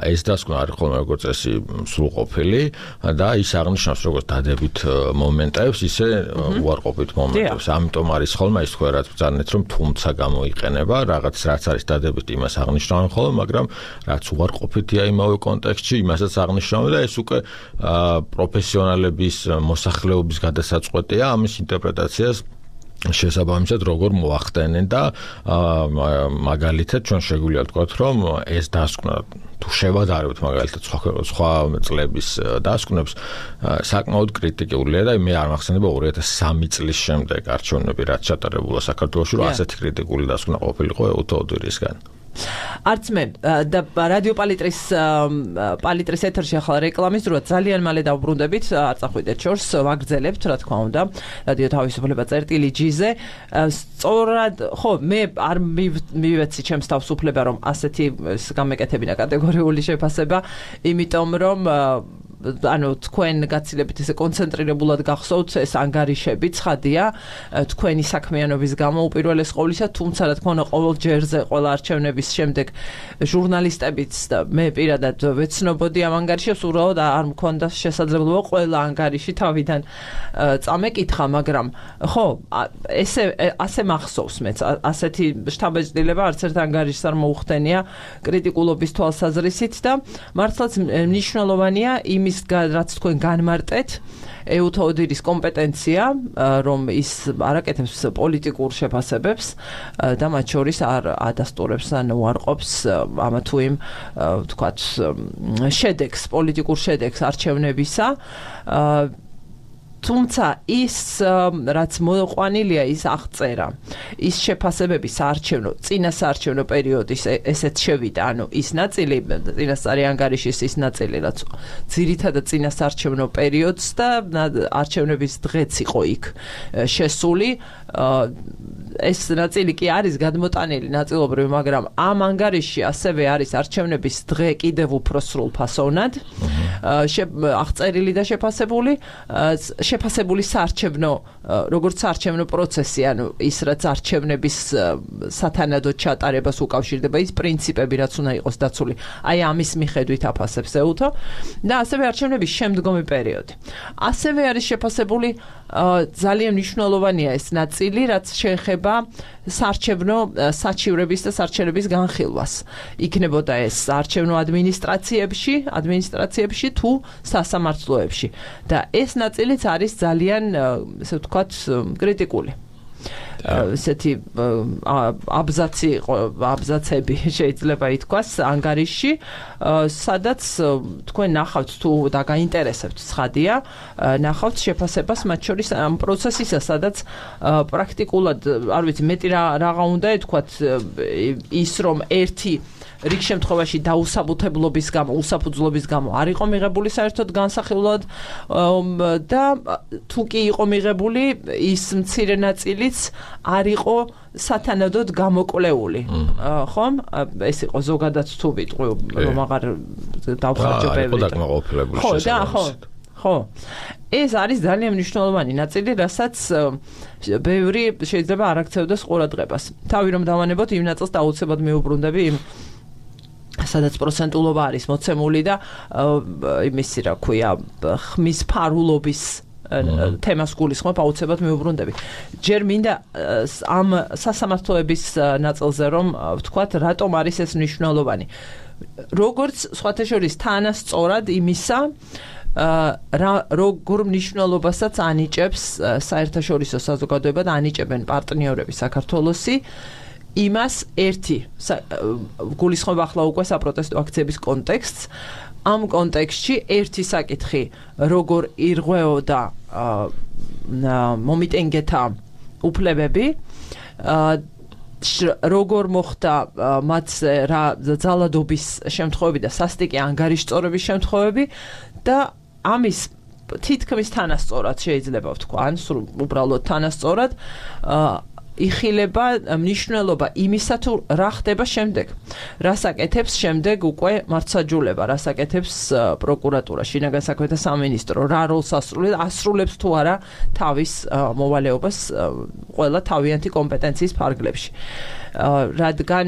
ეს დასკვნა არის ხოლმე როგორც წესი სრულყოფილი და ის აღნიშნავს როგორც დადებით მომენტებს, ისე უარყოფით მომენტებს. ამიტომ არის ხოლმე ის თქვა რაც ბრძანეთ, რომ თუმცა გამოიყენება, რაღაც რაც არის დადებით იმას აღნიშნავენ ხოლმე, მაგრამ რაც უარყოფითია იმავე კონტექსტში, იმასაც აღნიშნავენ და ეს უკვე პროფესიონალების მოსახლეობის გადასაწყვეტია ამის ინტერპრეტაციას შესაბამისად როგორ მოახდენენ და მაგალითად ჩვენ შეგვიძლია ვთქვათ რომ ეს დასკვნა თუ შევადარებთ მაგალითად სხვა წლების დასკვნებს საკმაოდ კრიტიკულია და მე არ მახსენდება 2003 წლის შემდეგ არჩევნები რაც ჩატარებულა საქართველოში რომ ასეთი კრიტიკული დასკვნა ყოფილიყო ეუთოოდირისგან არც მე და რადიო პალიტრის ეთერში ახლა რეკლამის დროა ძალიან მალე დავბრუნდებით არ წახვიდეთ შორს ვაგრძელებთ რა თქმა უნდა რადიო თავისუფლება წერტილი-G-ზე სწორად ხო მე არ მივეცი ჩემს თავისუფლება რომ ასეთი გამეკეთებინა კატეგორიული შეფასება იმიტომ რომ ანუ თქვენ გაცილებით ესე კონცენტრირებულად გახსოვთ ეს ანგარიშები ცხადია თქვენი საქმიანობის გამო უპირველეს ყოვლისა თუმცა რა თქმა უნდა ყოველ ჯერზე ყველა არჩევნების შემდეგ ჟურნალისტებიც და მე პირადად ვეცნობოდი ამ ანგარიშებს უბრალოდ არ მქონდა შესაძლებლობა ყველა ანგარიში თავიდან წამეკითხა მაგრამ ხო ასე მახსოვს მეც ასეთი შთაბეჭდილება არც ერთ ანგარიშს არ მოუხდენია კრიტიკულობის თვალსაზრისით და მართლაც მნიშვნელოვანია იმის რაც თქვენ განმარტეთ ეუთოოდირის კომპეტენცია რომ ის არაკეთებს პოლიტიკურ შეფასებებს და მათ შორის არ ადასტურებს ან უარყოფს ამა თუ იმ ვთქვათ შედეგს პოლიტიკურ შედეგს არჩევნებისა თუმცა ის რაც მოყვანილია ის აღწერა ის შეფასებები საარჩევნო წინასაარჩევნო პერიოდის ესეც შევიდა ანუ ის ნაწილი წინასწარი ანგარიშის ის ნაწილი რაც ძირითადად წინასაარჩევნო პერიოდს და არჩევნების დღეც იყო იქ შესული ეს ნაწილი კი არის გადმოტანილი ნაწილობრივ მაგრამ ამ ანგარიშში ასევე არის არჩევნების დღე კიდევ უფრო სრულფასოვნად აღწერილი და შეფასებული საარჩევნო როგორც საარჩევნო პროცესი ანუ ის რაც არჩევნების სათანადო ჩატარებას უკავშირდება ის პრინციპები რაც უნდა იყოს დაცული აი ამის მიხედვით აფასებს ეუთო და ასევე არჩევნების შემდგომი პერიოდი ასევე არის შეფასებული ძალიან მნიშვნელოვანია ეს ნაწილი რაც შეეხება საარჩევნო საჩივრების და სარჩელების განხილვას იქნებოდა ეს საარჩევნო ადმინისტრაციებში თუ სასამართლოებში და ეს ნაწილიც არის ძალიან ესე ვთქვათ კრიტიკული ესეთი აბზაცები შეიძლება ითქვას ანგარიში სადაც თქვენ ნახავთ თუ და გაინტერესებთ ცხადია ნახავთ შეფასებას მათ შორის ამ პროცესისა სადაც პრაქტიკულად არ ვიცი მეტი რაღა უნდა ეთქვათ ის რომ ერთი რიგ შემთხვევაში დაუსაბუთებლობის გამო, უსაფუძვლობის გამო არ იყო მიღებული საერთოდ განსახილვად და თუ კი იყო მიღებული, ის მცირე ნაწილიც არ იყო სათანადოდ გამოკვლეული. ხომ? ეს იყო ზოგადად თუ ვიტყვი, რომ აღარ დავხარჯო ბევრი. ხო. ეს არის ძალიან მნიშვნელოვანი ნაწილი, რასაც ბევრი შეიძლება არ აქცევდეს ყურადღებას. თავი რომ დავანებოთ იმ ნაწილს დაუცებად მიუბრუნდები იმ სადაც პროცენტულობა არის მოცემული და იმისი რა ქვია ხმის ფარულობის თემას გულისხმობ, აუცილებლად მიუბრუნდები. ჯერ მინდა ამ სასამართლოების ნაწილზე რომ ვთქვათ, რატომ არის ეს მნიშვნელოვანი. როგორც სხვათა შორის თანასწორად იმისა, როგორ მნიშვნელობასაც ანიჭებს საერთაშორისო საზოგადოება და ანიჭებენ პარტნიორები საქართველოსი, იმას ერთი გულისხმობ ახლა უკვე საპროტესტო აქციების კონტექსტს. ამ კონტექსტში ერთი საკითხი, როგორ ირღვეოდა მომიტინგეთა უფლებები, როგორ მოხდა მათზე რა ძალადობის შემთხვევები და სასტიკი ანგარიშწორების შემთხვევები და ამის თითქმის თანასწორად შეიძლება ვთქვა, ან უბრალოდ თანასწორად იხილება მნიშვნელობა იმისა თუ რა ხდება შემდეგ. რას აკეთებს შემდეგ უკვე მართლმსაჯულება, რას აკეთებს პროკურატურა, შინაგან საქმეთა სამინისტრო, რა როლს ასრულებს თუ არა თავის მოვალეობას ყველა თავიანთი კომპეტენციის ფარგლებში. რადგან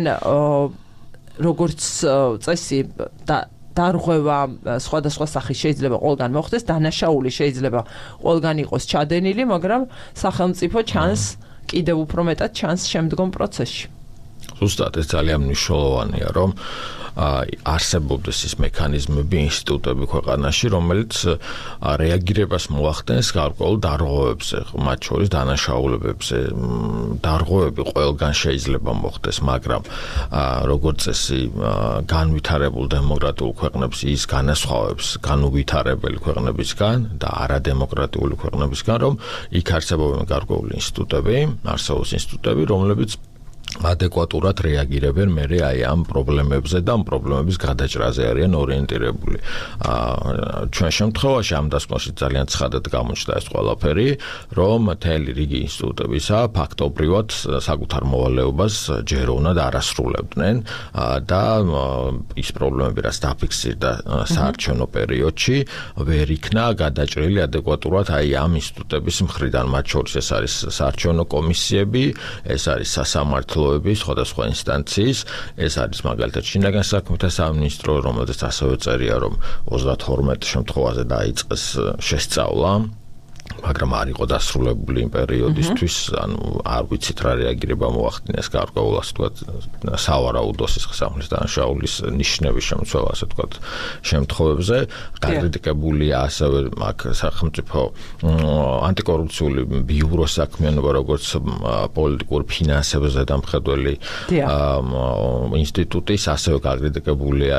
როგორც წესი დარღვევა სხვადასხვა სახის შეიძლება ყველგან მოხდეს, დანაშაული შეიძლება ყველგან იყოს ჩადენილი, მაგრამ სახელმწიფო ჩანს კიდევ უფრო მეტად ჩანს შემდგომ პროცესში. ზუსტად ეს ძალიან მნიშვნელოვანია, რომ არსებობდეს ის მექანიზმები, ინსტიტუტები ქვეყანაში, რომელიც რეაგირებას მოახდენს გარკვეულ დარღვევებზე, მათ შორის დანაშაულებებზე. დარღვევები ყველგან შეიძლება მოხდეს, მაგრამ როგორც წესი, განვითარებულ დემოკრატიულ ქვეყნებს ის განასხვავებს განუვითარებელი ქვეყნებისგან და არადემოკრატიული ქვეყნებისგან, რომ იქ არსებობენ გარკვეული ინსტიტუტები, რომლებიც ადეკვატურად რეაგირებენ მერე აი ამ პრობლემებზე და ამ პრობლემების გადაჭრაზე არიან ორიენტირებული. ჩვენ შემთხვევაში ამ დასკვნაში ძალიან ცხადად გამოჩნდა ეს ყველაფერი, რომ მთელი რიგი ინსტიტუტებისა ფაქტობრივად საკუთარ მოვალეობას ჯეროვნად არ ასრულებდნენ და ის პრობლემები, რაც დაფიქსირდა საარჩევნო პერიოდში, ვერ იქნა გადაჭრილი ადეკვატურად აი ამ ინსტიტუტების მხრიდან, მათ შორის ეს არის საარჩევნო კომისიები, ეს არის სასამართლო სხვადასხვა ინსტანციის, ეს არის მაგალითად შინაგან საქმეთა სამინისტრო, რომელზეც ასევე წერია, რომ 32 შემთხვევაზე დაიწყეს შესწავლა, მაგრამ არ იყო დასრულებული იმ პერიოდისთვის, ანუ არ ვიცით რა რეაგირება მოახდინეს გარკვეულ ასე ვთქვათ სავარაუდო სისხლის დანაშაულის ნიშნების შემცველ ასე ვთქვათ შემთხვევებზე. გაკრიტიკებულია ასევე აქ სახელმწიფო ანტიკორუფციული ბიუროს საქმიანობა, როგორც პოლიტიკურ ფინანსებზე დამხედველი ინსტიტუტის, ასევე გაკრიტიკებულია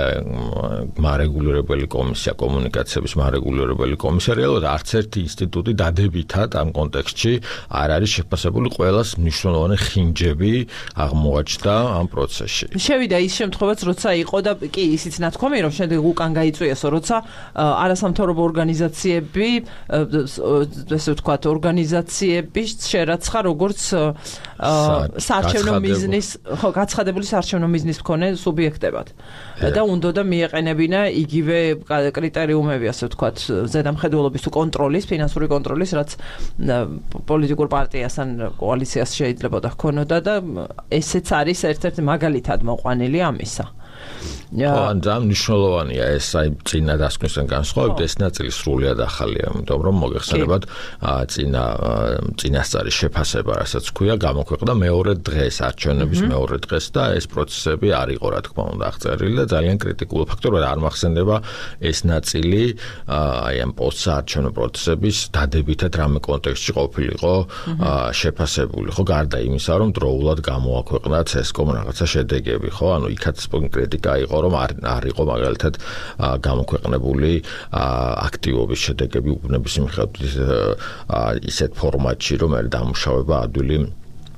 მარეგულირებელი კომისია, კომუნიკაციების მარეგულირებელი კომისია, რეალურად არც ერთი ინსტიტუტი დადებითად ამ კონტექსტში არ არის შეფასებული, ყველას მნიშვნელოვანი ხინჯები აღმოაჩნდა ამ პროცესში. შევიდა ის შემთხვევაც, როცა იყო და კი ისიც ნათქვამი, რომ შემდეგ უკან გაიწვიესო, როცა არასამთავრობო ორგანიზაციები, ესე ვთქვათ, ორგანიზაციების შერაცხა როგორც საარჩევნო მიზნის, ხო, გაცხადებული საარჩევნო მიზნის მქონე სუბიექტებად. და უნდოდა მიეყენებინა იგივე კრიტერიუმები, ასე ვთქვათ, ზედამხედველობის თუ კონტროლის, ფინანსური კონტროლის, რაც პოლიტიკურ პარტიას ან კოალიციას შეიძლება ჰქონოდა და ესეც არის ერთ-ერთი მაგალითად მოყვანილი ამისა. ან მნიშვნელოვანია ეს აი წინა დასკვნისგან განსხვავებით, ეს ნაწილი სრულიად ახალია, იმიტომ რომ მოგეხსენებათ წინასწარის შეფასება, რასაც ქვია, გამოქვეყნდა მეორე დღეს, არჩევნების მეორე დღეს და ეს პროცესები არ იყო, რა თქმა უნდა, აღწერილი და ძალიან კრიტიკული ფაქტორია, არ მახსენდება ეს ნაწილი აი ამ პოსტსაარჩევნო პროცესების დადებითად რამე კონტექსტში ყოფილიყო შეფასებული, ხო, გარდა იმისა, რომ დროულად გამოაქვეყნა CSCOM რაღაცა შედეგები, ხო, ანუ იქაც კრიტიკა იყო, რომ არ იყო მაგალითად გამოქვეყნებული აქტივობის შედეგები უბნების მიხედვით ისეთ ფორმატში, რომ არის დამუშავება ადვილი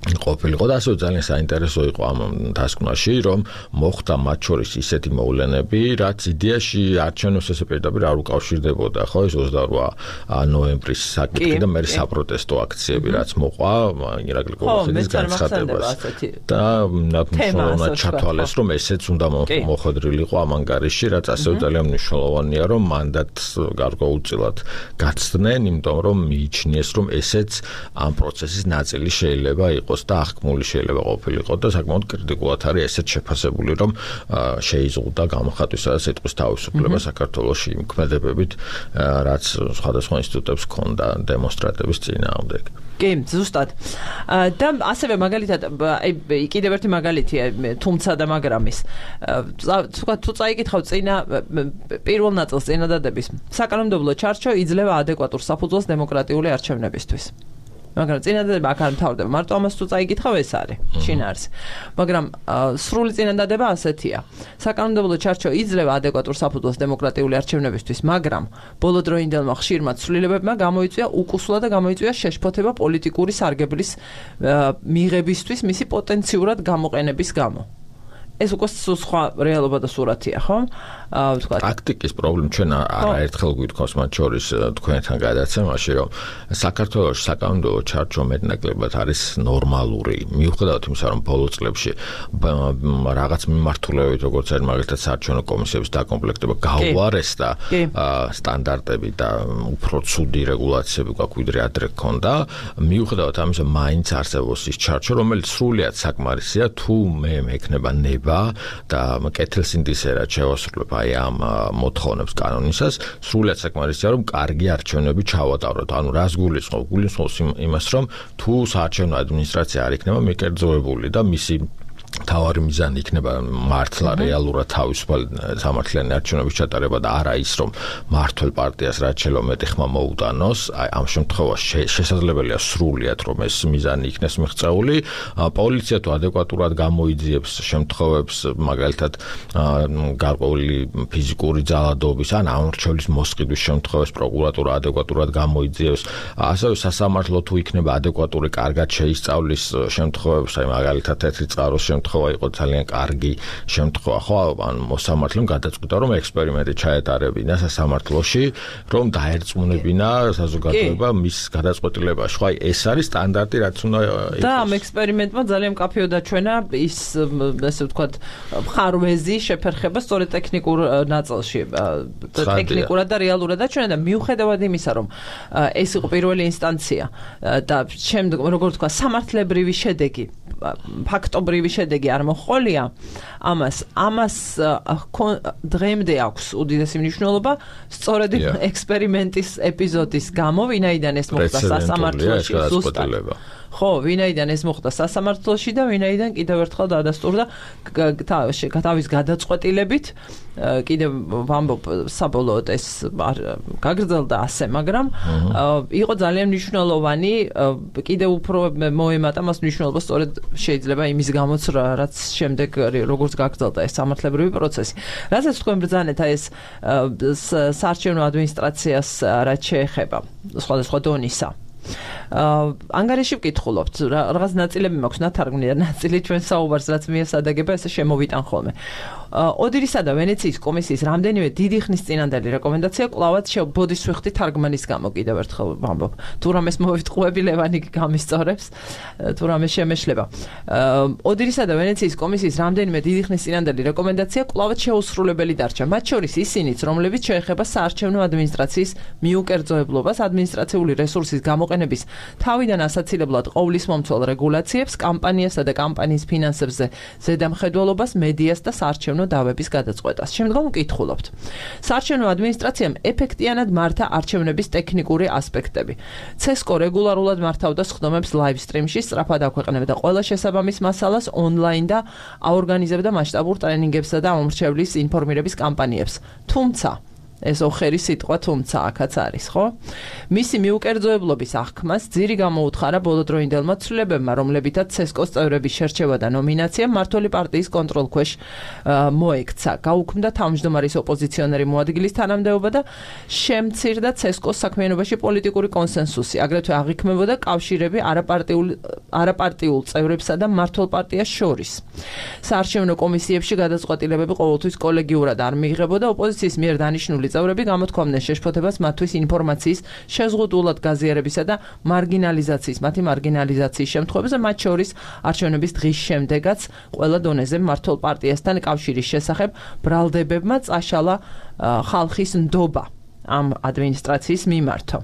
ყოფილიყო და ასევე ძალიან საინტერესო იყო ამ დასკვნაში, რომ მოხდა მათ შორის ისეთი მოვლენები, რაც იდეაში არჩევნებს ესე პირდაპირ არ უკავშირდებოდა, ხო, ეს 28 ნოემბრის საკითხი და მე საპროტესტო აქციები, რაც მოყვა ირაკლი კოლხეთის განცხადებას და მნიშვნელოვნად ჩათვალეს, რომ ესეც უნდა მოხვედრილიყო ამ ანგარიშში, რაც ასევე ძალიან მნიშვნელოვანია, რომ მანდატს გარკვეულწილად გაცდნენ, იმიტომ რომ მიიჩნიეს, რომ ესეც ამ პროცესის ნაწილი შეიძლება იყოს იყოს და აღქმული შეიძლება ყოფილიყო და საკმაოდ კრიტიკულად არის ესეც შეფასებული, რომ შეიზღუდა გამოხატვისა და სიტყვის თავისუფლება საქართველოში იმ ქმედებებით, რაც სხვადასხვა ინსტიტუტებს ჰქონდა დემონსტრატების წინააღმდეგ. კი, ზუსტად. და ასევე მაგალითად, კიდევ ერთი მაგალითია თუმცა და მაგრამის. თუ წაიკითხავ წინა პირველ ნაწილს წინადადების, საკანონმდებლო ჩარჩო იძლევა ადეკვატურ საფუძველს დემოკრატიული არჩევნებისთვის. მაგრამ წინადადება აქ არ მთავრდება, მარტო ამას თუ წაიკითხავ ეს არის შინაარსი. მაგრამ სრული წინადადება ასეთია. საკანონმდებლო ჩარჩო იძლევა ადეკვატურ საფუძველს დემოკრატიული არჩევნებისთვის, მაგრამ ბოლოდროინდელმა ხშირმა ცვლილებებმა გამოიწვია უკუსლა და გამოიწვია შეშფოთება პოლიტიკური სარგებლის მიღებისთვის მისი პოტენციურად გამოყენების გამო. ეს უკვე სხვა რეალობა და სურათია, ხო? ვთქვათ. ტაქტიკის პრობლემა ჩვენ არაერთხელ გვითხოვს მათ შორის თქვენთან გადაცემაში, რომ საქართველოს საკანონმდებლო ჩარჩო მეტნაკლებად არის ნორმალური. მიუხედავად იმისა, რომ ბოლო წლებში რაღაც მიმართულებებით, როგორც არის მაგალითად საარჩევნო კომისიების დაკომპლექტება გაუარესდა სტანდარტები და უფრო ცუდი რეგულაციები გვაქვს, ვიდრე ადრე ჰქონდა. მიუხედავად ამისა, მაინც არსებობს ის ჩარჩო, რომელიც სრულიად საკმარისია, თუ მე მექნება და კეთილსინდისერად შევასრულებ აი ამ მოთხოვნებს კანონისას, სრულიად საკმარისია, რომ კარგი არჩევნები ჩავატაროთ. ანუ რას გულისხმობ? გულისხმობს იმას, რომ თუ საარჩევნო ადმინისტრაცია არ იქნება მიკერძოებული და მისი თავარი მიზანი იქნება მართლა რეალურად თავისუფალ სამართლიანი არჩევნების ჩატარება და არა ის, რომ მართლ პარტიას რაც შეიძლება მეტი ხმა მოუტანოს. აი ამ შემთხვევაში შესაძლებელია სრულიად, რომ ეს მიზანი იქნეს მიღწეული. პოლიცია თუ ადეკვატურად გამოიძიებს შემთხვევებს, მაგალითად გარკვეული ფიზიკური ძალადობის ან ამორჩევლის მოსყიდვის შემთხვევებს, პროკურატურა ადეკვატურად გამოიძიებს. ასევე სასამართლო თუ იქნება ადეკვატური, კარგად შეისწავლის შემთხვევებს, აი მაგალითად თეთრი წყაროს შემთხვევა იყო ძალიან კარგი შემთხვევა, ხო, ან მოსამართლემ გადაწყვიტა, რომ ექსპერიმენტი ჩაეტარებინა სასამართლოში, რომ დაერწმუნებინა საზოგადოება მის გადაწყვეტილებაში. ხო, აი ეს არის სტანდარტი, რაც უნდა იყოს. და ამ ექსპერიმენტმა ძალიან მკაფიო დაჩვენა ის, ესე ვთქვათ, მხარვეზი შეფერხება სწორედ ტექნიკურ ნაწილში, ტექნიკურად და რეალურად დაჩვენა და მიუხედავად იმისა, რომ ეს იყო პირველი ინსტანცია და შემდეგ, როგორ ვთქვა, სამართლებრივი შედეგი, ფაქტობრივი შედეგი არ მოჰყოლია, ამას დღემდე აქვს უდიდესი მნიშვნელობა სწორედ ექსპერიმენტის ეპიზოდის გამო, ვინაიდან ეს მოხდა სასამართლოში, ზუსტად. ხო, ვინაიდან ეს მოხდა სასამართლოში და ვინაიდან კიდევ ერთხელ დადასტურდა თავის გადაწყვეტილებით, კიდევ ვამბობ, საბოლოოდ ეს გაგრძელდა ასე, მაგრამ იყო ძალიან მნიშვნელოვანი, კიდევ უფრო მოემატა მას მნიშვნელობა სწორედ შეიძლება იმის გამოც, რაც შემდეგ როგორც გაგრძელდა ეს სამართლებრივი პროცესი. რასაც თქვენ ბრძანეთ ეს საარჩევნო ადმინისტრაციას რაც შეეხება სხვადასხვა დონისა. ანგარიში ვკითხულობთ, რაღაც ნაწილები მაქვს ნათარგმნი და ნაწილი ჩვენ საუბარს რაც მიესადაგება, ესე შემოვიტან ხოლმე. ოდირისა და ვენეციის კომისიის რამდენიმე დიდი ხნის წინანდელი რეკომენდაცია კვლავაც ბოდის ვიხდი თარგმანის გამო, კიდევ ერთხელ ვამბობ. თუ რამეს მოვიტყუები, ლევანი გამისწორებს, თუ რამე შემეშლება. ოდირისა და ვენეციის კომისიის რამდენიმე დიდი ხნის წინანდელი რეკომენდაცია კვლავაც შეუსრულებელი დარჩა. მათ შორის ისინიც, რომლებიც შეეხება საარჩევნო ადმინისტრაციის მიუკერძოებლობას, ადმინისტრაციული რესურსის გამოყენების თავიდან ასაცილებლად ყოვლისმომცველ რეგულაციებს, კამპანიასა და კამპანიის ფინანსებზე ზედამხედველობას, მედიას და საარჩევნო დავების გადაწყვეტას. შემდგომ ვკითხულობთ. საარჩევნო ადმინისტრაციამ ეფექტიანად მართა არჩევნების ტექნიკური ასპექტები. CESCO რეგულარულად მართავდა სხდომებს ლაივ სტრიმში, სწრაფად აქვეყნებდა ყველა შესაბამის მასალას ონლაინ და აორგანიზებდა მასშტაბურ ტრენინგებსა და ამორჩევლის ინფორმირების კამპანიებს. თუმცა ეს ოხერი სიტყვა თუმცა აქაც არის, ხო? მისი მიუკერძოებლობის აღქმას ძირი გამოუთხარა ბოლოდროინდელმა ცვლილებებმა, რომლებითაც CESCO-ს წევრების შერჩევა და ნომინაცია მმართველი პარტიის კონტროლქვეშ მოექცა. გაუქმდა თავმჯდომარის ოპოზიციონერი მოადგილის თანამდებობა და შემცირდა CESCO-ს საქმიანობაში პოლიტიკური კონსენსუსი. აგრეთვე აღიქმებოდა კავშირები არაპარტიულ წევრებსა და მმართველ პარტიას შორის. საარჩევნო კომისიებში გადაწყვეტილებები ყოველთვის კოლეგიურად არ მიიღებოდა, ოპოზიციის მიერ დანიშნული წევრები გამოთქვამდნენ შეშფოთებას მათთვის ინფორმაციის შეზღუდულად გაზიარებისა და მათი მარგინალიზაციის შემთხვევებზე, მათ შორის არჩევნების დღის შემდეგაც ყველა დონეზე მმართველ პარტიასთან კავშირის შესახებ ბრალდებებმა წაშალა ხალხის ნდობა ამ ადმინისტრაციის მიმართო.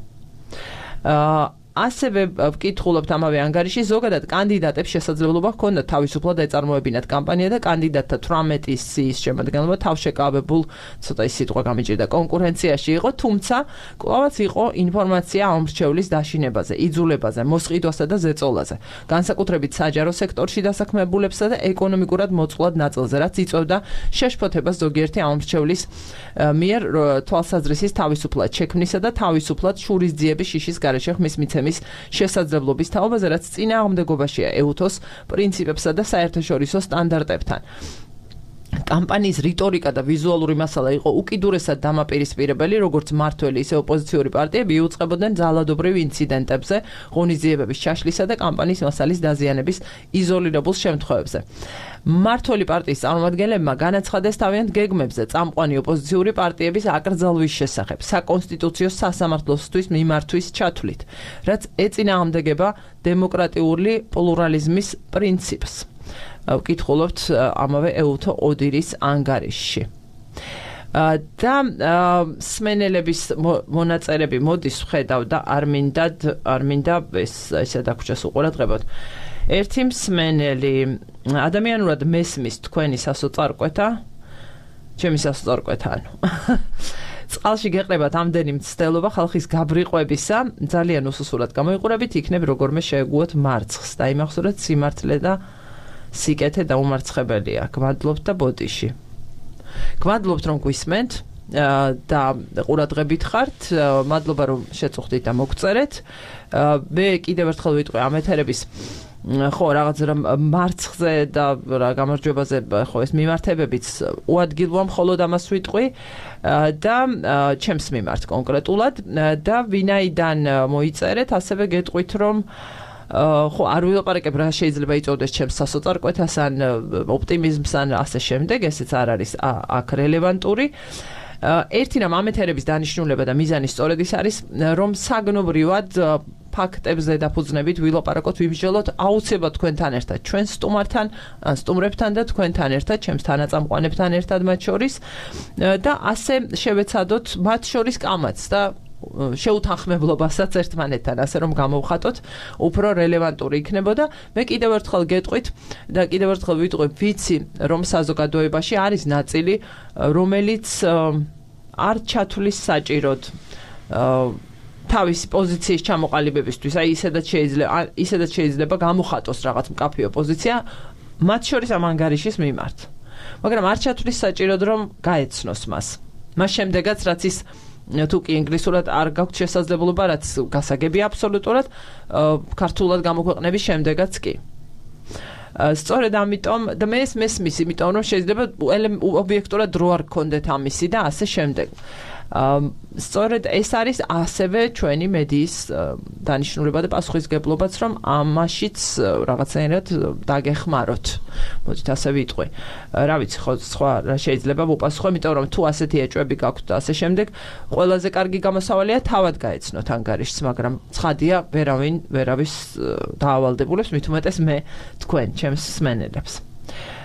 ასევე ვკითხულობთ ამავე ანგარიში ზოგადად კანდიდატებს შესაძლებლობა ჰქონდათ თავისუფლად ეწარმოებინათ კამპანია და კანდიდატთა 18-ის სიის შემადგენლობა თავშეკავებულ ცოტა ის სიტყვა გამიჭირდა კონკურენციაში იყო, თუმცა კვლავაც იყო ინფორმაცია ამ მრჩევლის დაშინებაზე, იძულებაზე, მოსყიდვასა და ზეწოლაზე. განსაკუთრებით საჯარო სექტორში დასაქმებულებსა და ეკონომიკურად მოწყვლად ნაწილზე, რაც იწვევდა შეშფოთებას ზოგიერთი ამ მრჩევლის მიერ თვალსაზრისის თავისუფლად შექმნისა და თავისუფლად შურისძიების შიშის გარეშე ხმის მიცემის შესაძლებლობის თაობაზე, რაც წინააღმდეგობაშია ეუთოს პრინციპებსა და საერთაშორისო სტანდარტებთან. კამპანიის რიტორიკა და ვიზუალური მასალა იყო უკიდურესად დამაპირისპირებელი, როგორც მმართველი, ისე ოპოზიციური პარტიები იუწყებოდნენ ძალადობრივ ინციდენტებზე, ღონისძიებების ჩაშლისა და კამპანიის მასალის დაზიანების იზოლირებულ შემთხვევებზე. მმართველი პარტიის წარმომადგენლებმა განაცხადეს თავიანთ გეგმებზე წამყვანი ოპოზიციური პარტიების აკრძალვის შესახებ საკონსტიტუციო სასამართლოსთვის მიმართვის ჩათვლით, რაც ეწინააღმდეგება დემოკრატიული პლურალიზმის პრინციპს. ვკითხულობთ ამავე ეუთო ოდირის ანგარიშში. და სმენელების მონაწერები მოდის ვხედავ და არ მინდა ესე დაგვრჩას უყურადღებოთ. ერთი მსმენელი ადამიანურად მესმის თქვენი სასოწარკვეთა, ჩემი სასოწარკვეთა ანუ. წყალში გეყრებათ ამდენი მცდელობა ხალხის გაბრიყვებისა, ძალიან უსუსურად გამოიყურებით, იქნებ როგორმე შეეგუოთ მარცხს და იმახსოვრეთ სიმართლე და სიკეთე დაუმარცხებელია. გვადლობთ და ბოდიში. გვადლობთ რომ გვისმენთ და ყურადღებით ხართ. მადლობა რომ შეწუხდით და მოგწერეთ. მე კიდევ ერთხელ ვიტყვი ამ ეთერების ხო რაღაც რა მარცხზე და რა გამარჯვებაზე ხო ეს მიმართებებიც უადგილოა, მხოლოდ ამას ვიტყვი და ჩემს მიმართ კონკრეტულად და ვინაიდან მოიწერეთ, ასევე გეტყვით რომ ხო არ ვილაპარაკებ რა შეიძლება იწოვდეს ჩემს სასოწარკვეთას ან ოპტიმიზმს ან ასე შემდეგ, ესეც არ არის აქ რელევანტური. ერთი რამ ამ ეთერების დანიშნულება და მიზანი სწორედ ის არის, რომ საგნობრივად ფაქტებზე დაფუძნებით ვილაპარაკოთ, ვიმსჯელოთ აუცილებლად თქვენთან ერთად, ჩვენ სტუმართან, სტუმრებთან და თქვენთან ერთად, ჩემს თანაწამყვანებთან ერთად მათ შორის და ასე შევეცადოთ მათ შორის კამაც და შეუთანხმებლობასაც ერთმანეთთან, ასე რომ გამოვხატოთ, უფრო რელევანტური იქნებოდა. მე კიდევ ერთხელ გეტყვით და კიდევ ერთხელ ვიტყვი, ვიცი, რომ საზოგადოებაში არის ნაწილი, რომელიც არ ჩათვლის საჭიროდ თავისი პოზიციის ჩამოყალიბებისთვის, აი ისედაც შეიძლება გამოხატოს რაღაც მკაფიო პოზიცია, მათ შორის ამ ანგარიშის მიმართ. მაგრამ არ ჩათვლის საჭიროდ, რომ გაეცნოს მას. მას შემდეგაც, რაც ის თუ კი ინგლისურად არ გაქვთ შესაძლებლობა, რაც გასაგებია აბსოლუტურად, ქართულად გამოქვეყნების შემდეგაც კი. სწორედ ამიტომ და მე მესმის, იმიტომ რომ შეიძლება ობიექტურად დრო არ გქონდეთ ამისი და ასე შემდეგ. სწორედ ეს არის ასევე ჩვენი მედიის დანიშნულება და პასუხისგებლობაც, რომ ამაშიც რაღაცნაირად დაგეხმაროთ. მოდით ასე ვიტყვი. რა ვიცი, ხო სხვა რა შეიძლება ვუპასუხო, იმიტომ რომ თუ ასეთი ეჭვები გაქვთ და ასე შემდეგ, ყველაზე კარგი გამოსავალია თავად გაეცნოთ ანგარიშს, მაგრამ ცხადია, ვერავის დაავალდებულებს, მით უმეტეს მე თქვენ, ჩემს მსმენელებს.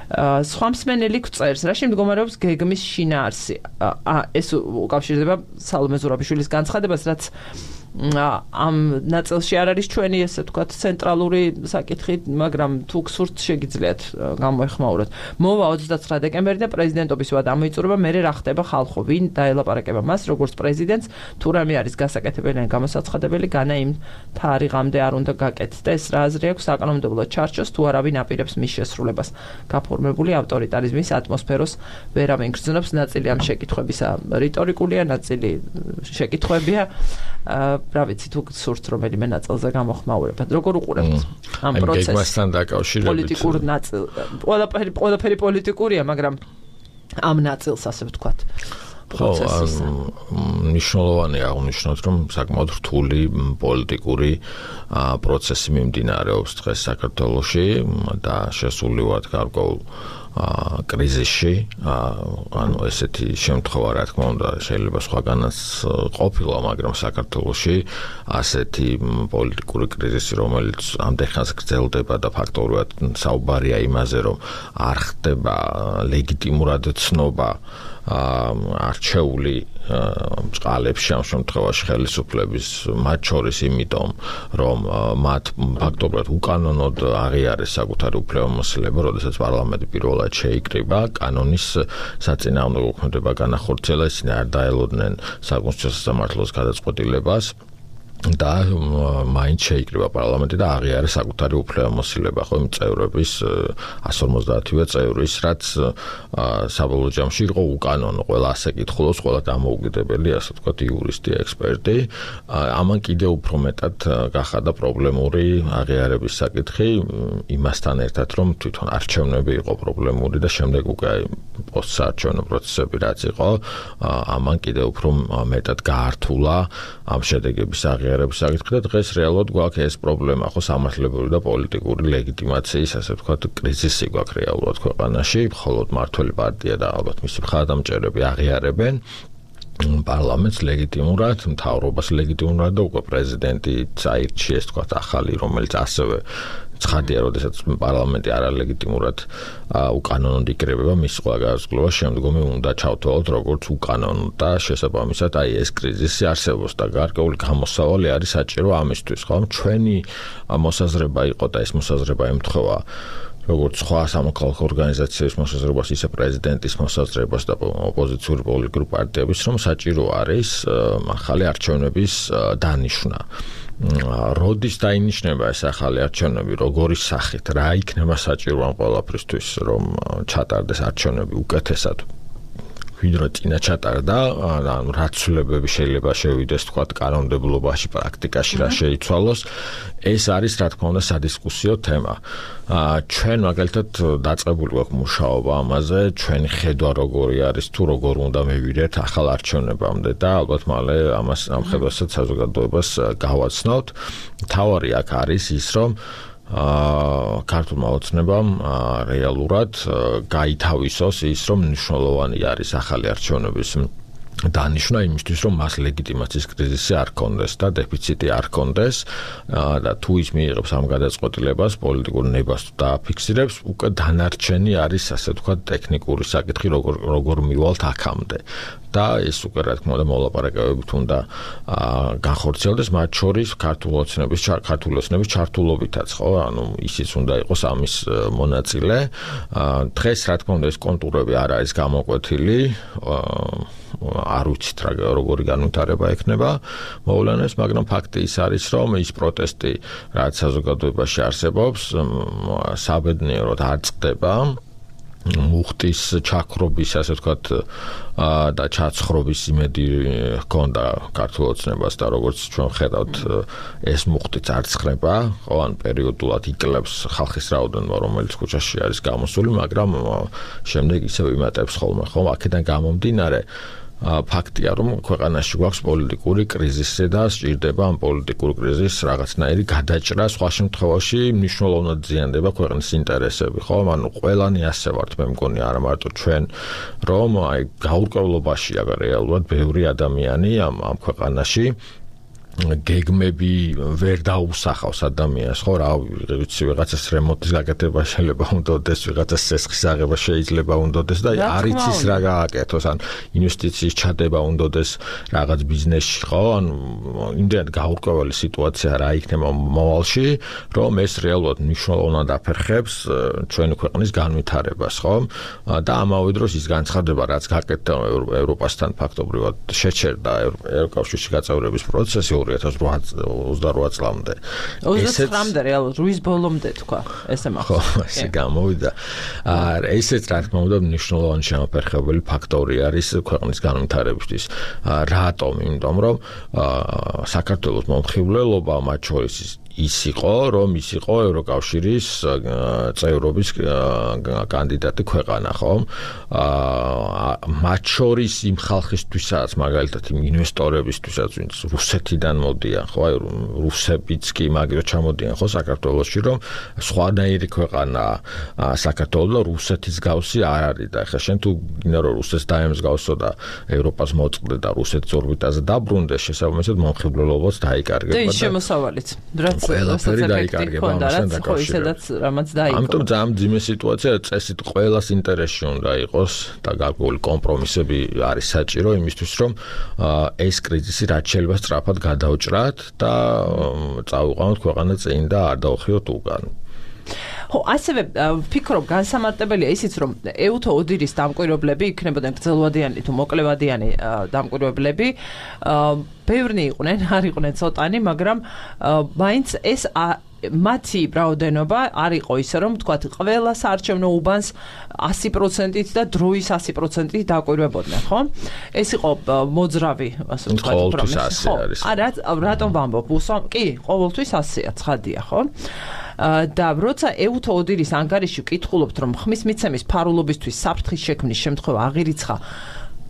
სხვა მსმენელი გვწერს, რაში მდგომარეობს გეგმის შინაარსი. ეს უკავშირდება სალომე ზურაბიშვილის განცხადებას, რაც ამ ნაწილში არ არის ჩვენი ესე ვთქვათ ცენტრალური საკითხი, მაგრამ თუ გსურთ შეგიძლიათ გამოეხმაუროთ. მოვა 29 დეკემბერი და პრეზიდენტობის ვადა ამოიწურება, მერე რა ხდება ხალხო, ვინ დაელაპარაკება მას, როგორც პრეზიდენტს, თუ რამე არის გასაკეთებელი ან გამოსაცხადებელი, განა იმ თარიღამდე არ უნდა გაკეთდეს. რა აზრი აქვს საკანონმდებლო ჩარჩოს, თუ არავინ აპირებს მის შესრულებას. გაფორმებული ავტორიტარიზმის ატმოსფეროს ვერავინ გრძნობს, ნაწილი ამ შეკითხვებისა რიტორიკულია, ნაწილი შეკითხვებია. რა ვიცი, თუ გსურთ რომელიმე ნაწილზე გამოხმაურებათ. როგორ უყურებთ ამ პროცესს? გეგმასთან დაკავშირებით. პოლიტიკურ ნაწილ. ყველაფერი პოლიტიკურია, მაგრამ ამ ნაწილს ასე ვთქვათ. ხო, მნიშვნელოვანია აღნიშნოთ, რომ საკმაოდ რთული პოლიტიკური პროცესი მიმდინარეობს დღეს საქართველოში და შესულივად გარკვეულ კრიზისში, ანუ ესეთი შემთხვევა, რა თქმა უნდა, შეიძლება სხვაგანაც ყოფილა, მაგრამ საქართველოში ასეთი პოლიტიკური კრიზისი, რომელიც ამდენხანს გრძელდება და ფაქტობრივად საუბარია იმაზე, რომ არ ხდება ლეგიტიმურად ცნობა არჩეული წყალებში ამ შემთხვევაში ხელისუფლების მათ შორის იმიტომ რომ მათ ფაქტობრივად უკანონოდ აღიარეს საკუთარი უფლებამოსილება, როდესაც პარლამენტი პირველად შეიკრიბა, კანონის საწინააღმდეგო მოქმედება განახორციელა, ისინი არ დაელოდნენ საკონსტიტუციო სასამართლოს გადაწყვეტილებას და მაინც შეიკრიბა პარლამენტი და აღიარეს საკუთარი უფლებამოსილება, ხო, იმ წევრების 150-ვე წევრის, რაც საბოლოო ჯამში იყო უკანონო, ყველა ასე კითხულობს, ყველა დამოუკიდებელი, ასე ვთქვათ, იურისტი, ექსპერტი. ამან კიდევ უფრო მეტად გახადა პრობლემური აღიარების საკითხი, იმასთან ერთად, რომ თვითონ არჩევნები იყო პრობლემური და შემდეგ უკვე პოსტსაარჩევნო პროცესები რაც იყო, ამან კიდევ უფრო მეტად გაართულა ამ შედეგების აღიარების საკითხი და დღეს რეალურად გვაქვს ეს პრობლემა, ხო, სამართლებრივი და პოლიტიკური ლეგიტიმაციის, ასე ვთქვათ, კრიზისი გვაქვს რეალურად ქვეყანაში, მხოლოდ მართველი პარტია და ალბათ მისი მხარდამჭერები აღიარებენ პარლამენტს ლეგიტიმურად, მთავრობას ლეგიტიმურად და უკვე პრეზიდენტი წაირჩიეს, თქვათ, ახალი, რომელიც ასევე ცხადია, როდესაც პარლამენტი არალეგიტიმურად უკანონოდ იკრიბება, მის ყველა განსაზღვრება შემდგომი უნდა ჩავთვალოთ როგორც უკანონო და შესაბამისად აი ეს კრიზისი არსებობს და გარკვეული გამოსავალი არის საჭირო ამისთვის, ხო? ჩვენი მოსაზრება იყო და ეს მოსაზრება ემთხვევა როგორც სხვა სამოქალაქო ორგანიზაციების მოსაზრებას, ისე პრეზიდენტის მოსაზრებას და ოპოზიციური პოლიტიკური პარტიების, რომ საჭირო არის ახალი არჩევნების დანიშვნა. როდის დაინიშნება ეს ახალი არჩევნები, როგორი სახით, რა იქნება საჭირო ამ ყველაფრისთვის, რომ ჩატარდეს არჩევნები უკეთესად ვიდრე წინა ჩატარდა, ანუ რა ცვლილებები შეიძლება შევიდეს, თქვათ, კანონმდებლობაში, პრაქტიკაში რა შეიცვალოს, ეს არის, რა თქმა უნდა, სადისკუსიო თემა. ჩვენ მაგალითად დაწყებული გვაქვს მუშაობა ამაზე, ჩვენი ხედვა როგორი არის, თუ როგორ უნდა მივიდეთ ახალ არჩევნებამდე და ალბათ მალე ამას ამ ხედვასაც საზოგადოებას გავაცნობთ. მთავარი აქ არის ის, რომ ქართულმა ოცნებამ რეალურად გაითავისოს ის, რომ მნიშვნელოვანი არის ახალი არჩევნების დანიშვნა იმისთვის, რომ მას ლეგიტიმაციის კრიზისი არ ქონდეს და დეფიციტი არ ქონდეს და თუ ის მიიღებს ამ გადაწყვეტილებას, პოლიტიკურ ნებას დააფიქსირებს, უკვე დანარჩენი არის, ასე ვთქვათ, ტექნიკური საკითხი, როგორ მივალთ აქამდე. და ეს უკვე რა თქმა უნდა მოლაპარაკებებით უნდა განხორციელდეს, მათ შორის ქართული ოცნების ჩართულობითაც, ხო? ანუ ისიც უნდა იყოს ამის მონაწილე. დღეს რა თქმა უნდა ეს კონტურები არ არის გამოკვეთილი, არ ვიცით როგორი განვითარება ექნება მოვლენებს, მაგრამ ფაქტი ის არის, რომ ის პროტესტი, რაც საზოგადოებაში არსებობს, საბედნიეროდ არ წყდება. მუხტის ჩაქრობის, ასე ვთქვათ, და ჩაცხრობის იმედი ჰქონდა ქართულ ოცნებას და როგორც ჩვენ ხედავთ, ეს მუხტიც არ ცხრება, ხო, ან პერიოდულად იკლებს ხალხის რაოდენობა, რომელიც ქუჩაში არის გამოსული, მაგრამ შემდეგ ისევ იმატებს ხოლმე, ხო, აქედან გამომდინარე ფაქტია, რომ ქვეყანაში გვაქვს პოლიტიკური კრიზისი და სჭირდება ამ პოლიტიკურ კრიზისს რაღაცნაირი გადაჭრა, სხვა შემთხვევაში მნიშვნელოვნად ზიანდება ქვეყნის ინტერესები, ხო? ანუ ყველანი ასე ვართ, მე მგონი, არა მარტო ჩვენ, რომ აი გაურკვევლობაშია რეალურად ბევრი ადამიანი ამ ქვეყანაში გეგმები ვერ დაუსახავს ადამიანს, ხო, რა ვიცი, ვიღაცას რემონტის გაკეთება შეიძლება უნდადეს, ვიღაცას სესხის აღება შეიძლება უნდადეს და არ იცის რა გააკეთოს, ან ინვესტიციის ჩადება უნდადეს რაღაც ბიზნესში, ხო, ან იმდენად გაურკვეველი სიტუაცია რა იქნება მოვალში, რომ ეს რეალურად მნიშვნელოვნად აფერხებს ჩვენი ქვეყნის განვითარებას, ხო? და ამავე დროს ის განცხადება, რაც გაკეთდა ევროპასთან ფაქტობრივად შეჩერდა ევროკავშირში გაწევრების პროცესი 2028 წლამდე. 29-მდე რეალურად რუის ბოლომდე თქვა, ესე მახსოვს. ხო, ესე გამოვიდა. ესეც რა თქმა უნდა მნიშვნელოვანი შემოფერხებელი ფაქტორი არის ქვეყნის განვითარებისთვის. რატომ? იმიტომ რომ საქართველოს მომხიბვლელობა მათ შორის ის იყო, რომ ის იყო ევროკავშირის წევრობის კანდიდატი ქვეყანა, ხო? მათ შორის იმ ხალხისთვისაც, მაგალითად იმ ინვესტორებისთვისაც, ვინც რუსეთიდან მოდიან, ხო? აი რუსებიც კი მაგირო ჩამოდიან, ხო, საქართველოში, რომ სხვანაირი ქვეყანა საქართველო და რუსეთის გავსი არ არის და ხა შენ თუ გინდა რომ რუსეთს დაემსგავსო და ევროპას მოწყდე და რუსეთის ორბიტაზე დაბრუნდეს, შესაბამისად მომხიბვლელობაც დაიკარგება და ის შემოსავალიც, რაც ყველაფერი დაიკარგება ამასთან დაკავშირებით. რამაც დაიკარგა. ამიტომ ძალიან ძიმე სიტუაცია, წესით ყველას ინტერესში უნდა იყოს და გარკვეული კომპრომისები არის საჭირო იმისთვის, რომ ეს კრიზისი რაც შეიძლება სწრაფად გადაუჭრათ და წავიყვანოთ ქვეყანა წინ და არ დაუხიოთ უკან. ხო, ასევე ვფიქრობ განსამარტებელია ისიც, რომ ეუთო ოდირის დამკვირვებლები იქნებოდნენ გრძელვადიანი თუ მოკლევადიანი დამკვირვებლები, ბევრნი იყვნენ, არ იყვნენ ცოტანი, მაგრამ მაინც ეს მათი რაოდენობა არ იყო ისე, რომ თქვათ, ყველა საარჩევნო უბანს 100%-ით და დროის 100%-ით დაკვირვებოდნენ, ხო? ეს იყო მოძრავი, ასე ვთქვათ, პრომესი. ხო, რატომ ვამბობ? კი, ყოველთვის 100-ია, ცხადია, ხო? და როცა ეუთო ოდირის ანგარიში ვკითხულობთ, რომ ხმის მიცემის ფარულობისთვის საფრთხის შექმნის შემთხვევა აღირიცხა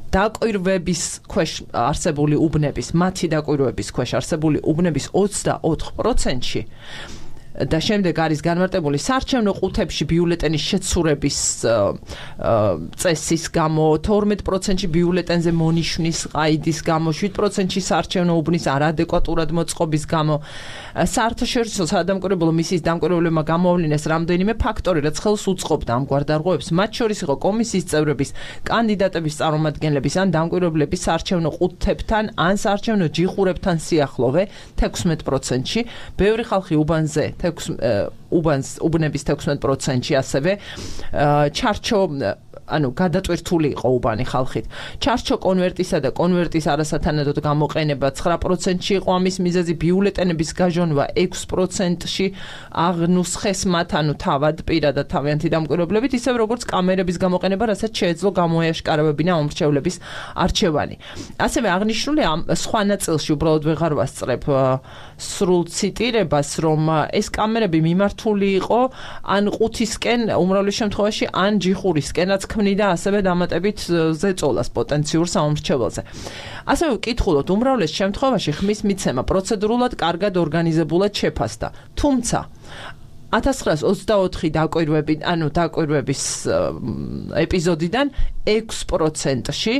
დაკვირვების ქვეშ არსებული უბნების, მათი დაკვირვების ქვეშ არსებული უბნების 24%-ში და შემდეგ არის განმარტებული საარჩევნო ყუთებში ბიულეტენის შეცურების წესის გამო, 12%-ში ბიულეტენზე მონიშნის ყაიდის გამო, 7%-ში საარჩევნო უბნის არადეკვატურად მოწყობის გამო. საერთაშორისო სადამკვირვებლო მისიის დამკვირვებლებმა გამოავლინეს რამდენიმე ფაქტორი, რაც ხელს უწყობდა ამგვარ დარღვევებს. მათ შორის იყო კომისიის წევრების, კანდიდატების წარმომადგენლების ან დამკვირვებლების საარჩევნო ყუთებთან ან საარჩევნო ჯიხურებთან სიახლოვე 16%-ში, ბევრი ხალხი უბანზე უბნების 16%-ში ასევე ჩარჩო გადატვირთული იყო უბანი ხალხით. ჩარჩო კონვერტისა და კონვერტის არასათანადოდ გამოყენება 9%-ში იყო ამის მიზეზი, ბიულეტენების გაჟონვა 6%-ში აღნუსხეს მათ, თავად პირადად თავიანთი დამკვირვებლებით, ისევ როგორც კამერების გამოყენება, რასაც შეეძლო გამოეაშკარავებინა მომრჩევლების არჩევანი. ასევე აღნიშნულია სხვა ნაწილში, უბრალოდ ვეღარ ვასწრებ სრულ ციტირებას, რომ ეს კამერები მიმართული იყო ან ყუთისკენ, უმრავლეს შემთხვევაში, ან ჯიხურისკენ, რაც ქმნიდა ასევე დამატებით ზეწოლას პოტენციურ სამომრჩეველზე. ასევე ვკითხულობთ, უმრავლეს შემთხვევაში ხმის მიცემა პროცედურულად კარგად ორგანიზებულად შეფასდა. თუმცა 1924 დაკვირვების ეპიზოდიდან 6%-ში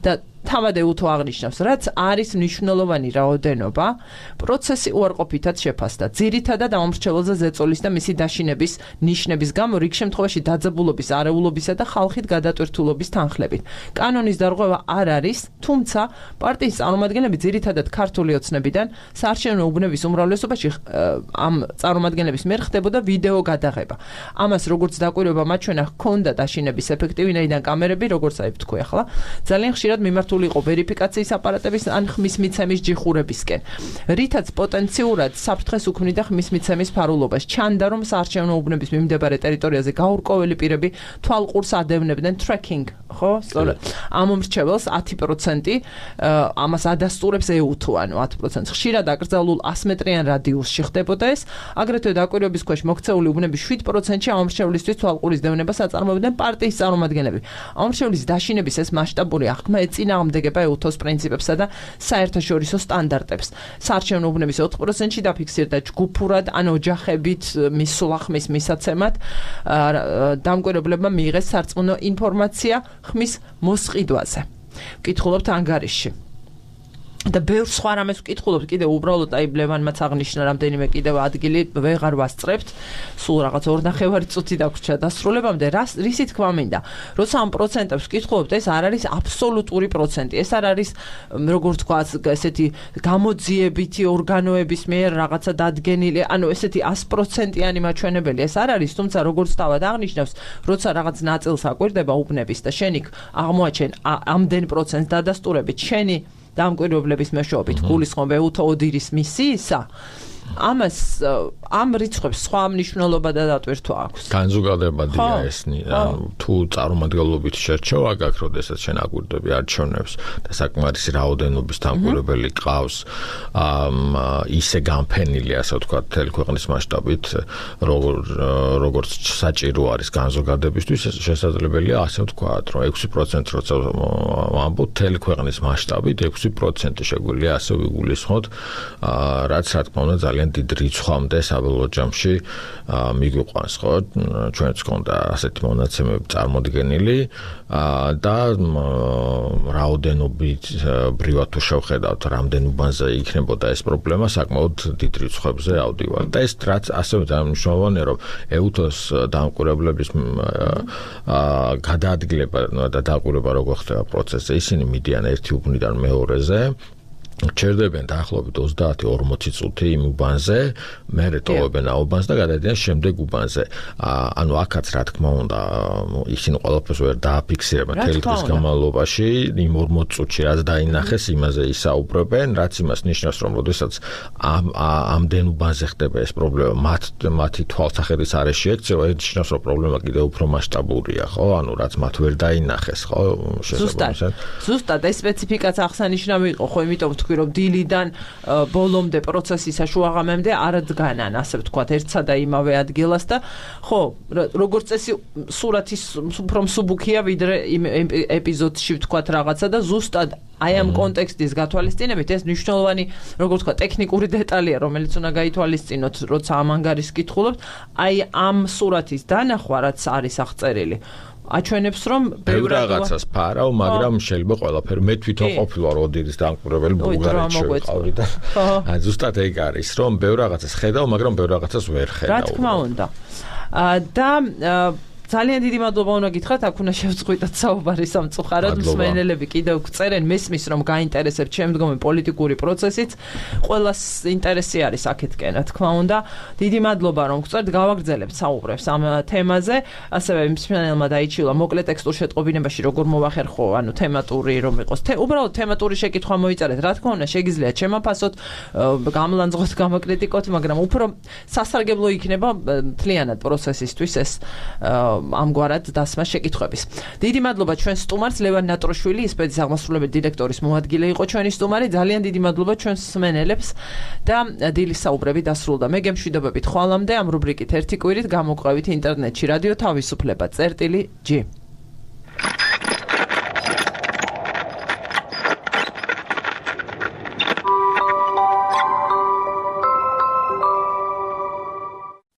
და თავად ეუთო აღნიშნავს, რაც არის მნიშვნელოვანი რაოდენობა, პროცესი უარყოფითად შეფასდა. ძირითადად ამომრჩეველზე ზეწოლის და მისი დაშინების ნიშნების გამო, რიგ შემთხვევაში დაძაბულობის, არეულობისა და ხალხით გადატვირთულობის თანხლებით. კანონის დარღვევა არ არის, თუმცა პარტიის წარმომადგენლები ძირითადად ქართული ოცნებიდან საარჩევნო უბნების უმრავლესობაში ამ წარმომადგენლების მიერ ხდებოდა ვიდეო გადაღება. ამას როგორც დაკვირვება მაჩვენა ჰქონდა დაშინების ეფექტი, ვინაიდან კამერები, როგორც აი ვთქვი ახლა, ძალიან ხშირად მიმართული იყო ვერიფიკაციის აპარატების ან ხმის მიცემის ჯიხურებისკენ, რითაც პოტენციურად საფრთხეს უქმნიდა ხმის მიცემის ფარულობას. ჩანდა, რომ საარჩევნო უბნების მიმდებარე ტერიტორიაზე გაურკვეველი პირები თვალყურს ადევნებდნენ tracking, ხო? სწორედ. ამომრჩეველს 10% ამას ადასტურებს ეუთო, 10%. ხშირად აკრძალულ 100 მეტრიან რადიუსში ხდებოდა ეს, აგრეთვე დაკვირვების ქვეშ მოქცეული უბნების 7%-ში ამომრჩევლისთვის თვალყურის დევნებას აწარმოებდნენ პარტიის წარმომადგენლები. ამომრჩევლის დაშინების ეს მასშტაბური აღქმა ეწინააღმდეგება ეუთოს პრინციპებსა და საერთაშორისო სტანდარტებს. საარჩევნო უბნების 4%-ში დაფიქსირდა ჯგუფურად ან ოჯახებით მისვლა ხმის მისაცემად. დამკვირვებლებმა მიიღეს სარწმუნო ინფორმაცია ხმის მოსყიდვაზე. ვკითხულობთ ანგარიში. და ბევრ სხვა რამეს ვკითხულობთ, კიდევ უბრალოდ აი ბლევანმაც აღნიშნა რამდენიმე კიდევ ადგილი ვეღარ ვასწრებთ. სულ რაღაც 2.5 წუთი დაგვრჩა დასრულებამდე. რისი თქვა მინდა? როცა ამ პროცენტებს ვკითხულობთ, ეს არ არის აბსოლუტური პროცენტი. ეს არ არის, როგორ თქვა, ესეთი გამოძიებითი ორგანოების მიერ რაღაცა დადგენილი, ესეთი 100%-იანი მაჩვენებელი. ეს არ არის, თუმცა როგორც თავად აღნიშნავს, როცა რაღაც ნაწილს აკვირდება უბნების და შენ იქ აღმოაჩენ ამდენ პროცენტს დადასტურებით, შენი დამკვირვებლების მეშვეობით გულისხმობ ეუთო ოდირის მისიისა, ამას ამ რიცხვებს სხვა მნიშვნელობა და დატვირთვა აქვს. განზოგადებადია ესნი, თუ წარმომადგენლობით შერჩევა გაქვს, როდესაც შენ აკვირდები არჩევნებს და საკმარისი რაოდენობის დამკვირვებელი ყავს, ისე განფენილი, ასე ვთქვათ, მთელი ქვეყნის მასშტაბით, როგორც საჭირო არის განზოგადებისთვის, შესაძლებელია ასე ვთქვათ, რომ 6% როცა ვამბობ მთელი ქვეყნის მასშტაბით 6% შეგვიძლია ასე ვიგულისხმოთ, რაც რა თქმა უნდა ძალიან დიდ რიცხვამდე საბოლოო ჯამში მიგვიყვანს, ხო? ჩვენც გქონდა ასეთი მონაცემები წარმოდგენილი და რაოდენობით ბრივად თუ შევხედავთ, რამდენ უბანზე იქნებოდა ეს პრობლემა, საკმაოდ დიდ რიცხვებზე ავდივარ. და ეს რაც ასევე ძალიან მნიშვნელოვანია, რომ EUTOS დამკვირვებლების გადაადგილება და დაკვირვება როგორ ხდება პროცესზე, ისინი მიდიან ერთი უბნიდან მეორეზე, ჩერდებიან დაახლოებით 30-40 წუთი იმ უბანზე, მერე ტოვებენ აუბანს და გადადიან შემდეგ უბანზე. ანუ აქაც რა თქმა უნდა, ისინი ყველაფერს ვერ დააფიქსირებენ მთელი დღის განმავლობაში, იმ 40 წუთში რაც დაინახეს, იმაზე ისაუბრებენ, რაც იმას ნიშნავს, რომ როდესაც ამდენ უბანზე ხდება ეს პრობლემა, მათი თვალსაჩინოს არეში ექცევა, ეს ნიშნავს, რომ პრობლემა კიდევ უფრო მასშტაბურია, ხო? ანუ რაც მათ ვერ დაინახეს, ხო? ზუსტად ეს სპეციფიკაც აღსანიშნავი იყო, ხო, იმიტომ თქვი რომ დილიდან ბოლომდე პროცესის შუაღამემდე არ დგანან, ასე ვთქვათ, ერთსა და იმავე ადგილას და ხო, როგორც წესი სურათის უფრო მსუბუქია ვიდრე იმ ეპიზოდში ვთქვათ რაღაცა და ზუსტად აი ამ კონტექსტის გათვალისწინებით ეს მნიშვნელოვანი, როგორც ვთქვათ, ტექნიკური დეტალია, რომელიც უნდა გაითვალისწინოთ, როცა ამ ანგარის კითხულობთ, აი ამ სურათის დანახვა, რაც არის აღწერილი. აჩვენებს რომ ბევრ რაღაცას ფარავ, მაგრამ შეიძლება ყველაფერი მე თვითონ ყოფილა როდერის დამკვირვებელი ბულგარეთში ვიყავი და ზუსტად ეგ არის, რომ ბევრ რაღაცას ხედავ, მაგრამ ბევრ რაღაცას ვერ ხედავ. რა თქმა უნდა. და ძალიან დიდი მადლობა უნდა გითხრათ, აქ უნდა შევწყვიტოთ საუბარი სამწუხაროდ, მსმენელები კიდევ გწერენ, მესმის რომ გაინტერესებთ შემდგომი პოლიტიკური პროცესიც, ყველას ინტერესი არის აქეთკენ, რა თქმა უნდა. დიდი მადლობა რომ გწერთ, გავაგრძელებთ საუბრებს ამ თემაზე, ასევე მსმენელმა დაიჩილა მოკლე ტექსტურ შეტყობინებაში როგორ მოვახერხო, ანუ თემატური რომ იყოს. უბრალოდ თემატური შეკითხვა მოიწერეთ, რა თქმა უნდა, შეგიძლიათ შემაფასოთ, გამლანძღოთ, გამაკრიტიკოთ, მაგრამ უფრო სასარგებლო იქნება მთლიანად პროცესისთვის ეს ამგვარად დასმა შეკითხვების. დიდი მადლობა ჩვენ სტუმარს ლევან ნატროშვილი, ისპედის აღმასრულებელი დირექტორის მოადგილე იყო ჩვენი სტუმარი. ძალიან დიდი მადლობა ჩვენს მსმენელებს და დილის საუბრები დასრულდა. მე გემშვიდობებით ხვალამდე ამ რუბრიკით ერთი კვირით გამოყვებით ინტერნეტში რადიო თავისუფლება წერტილი G.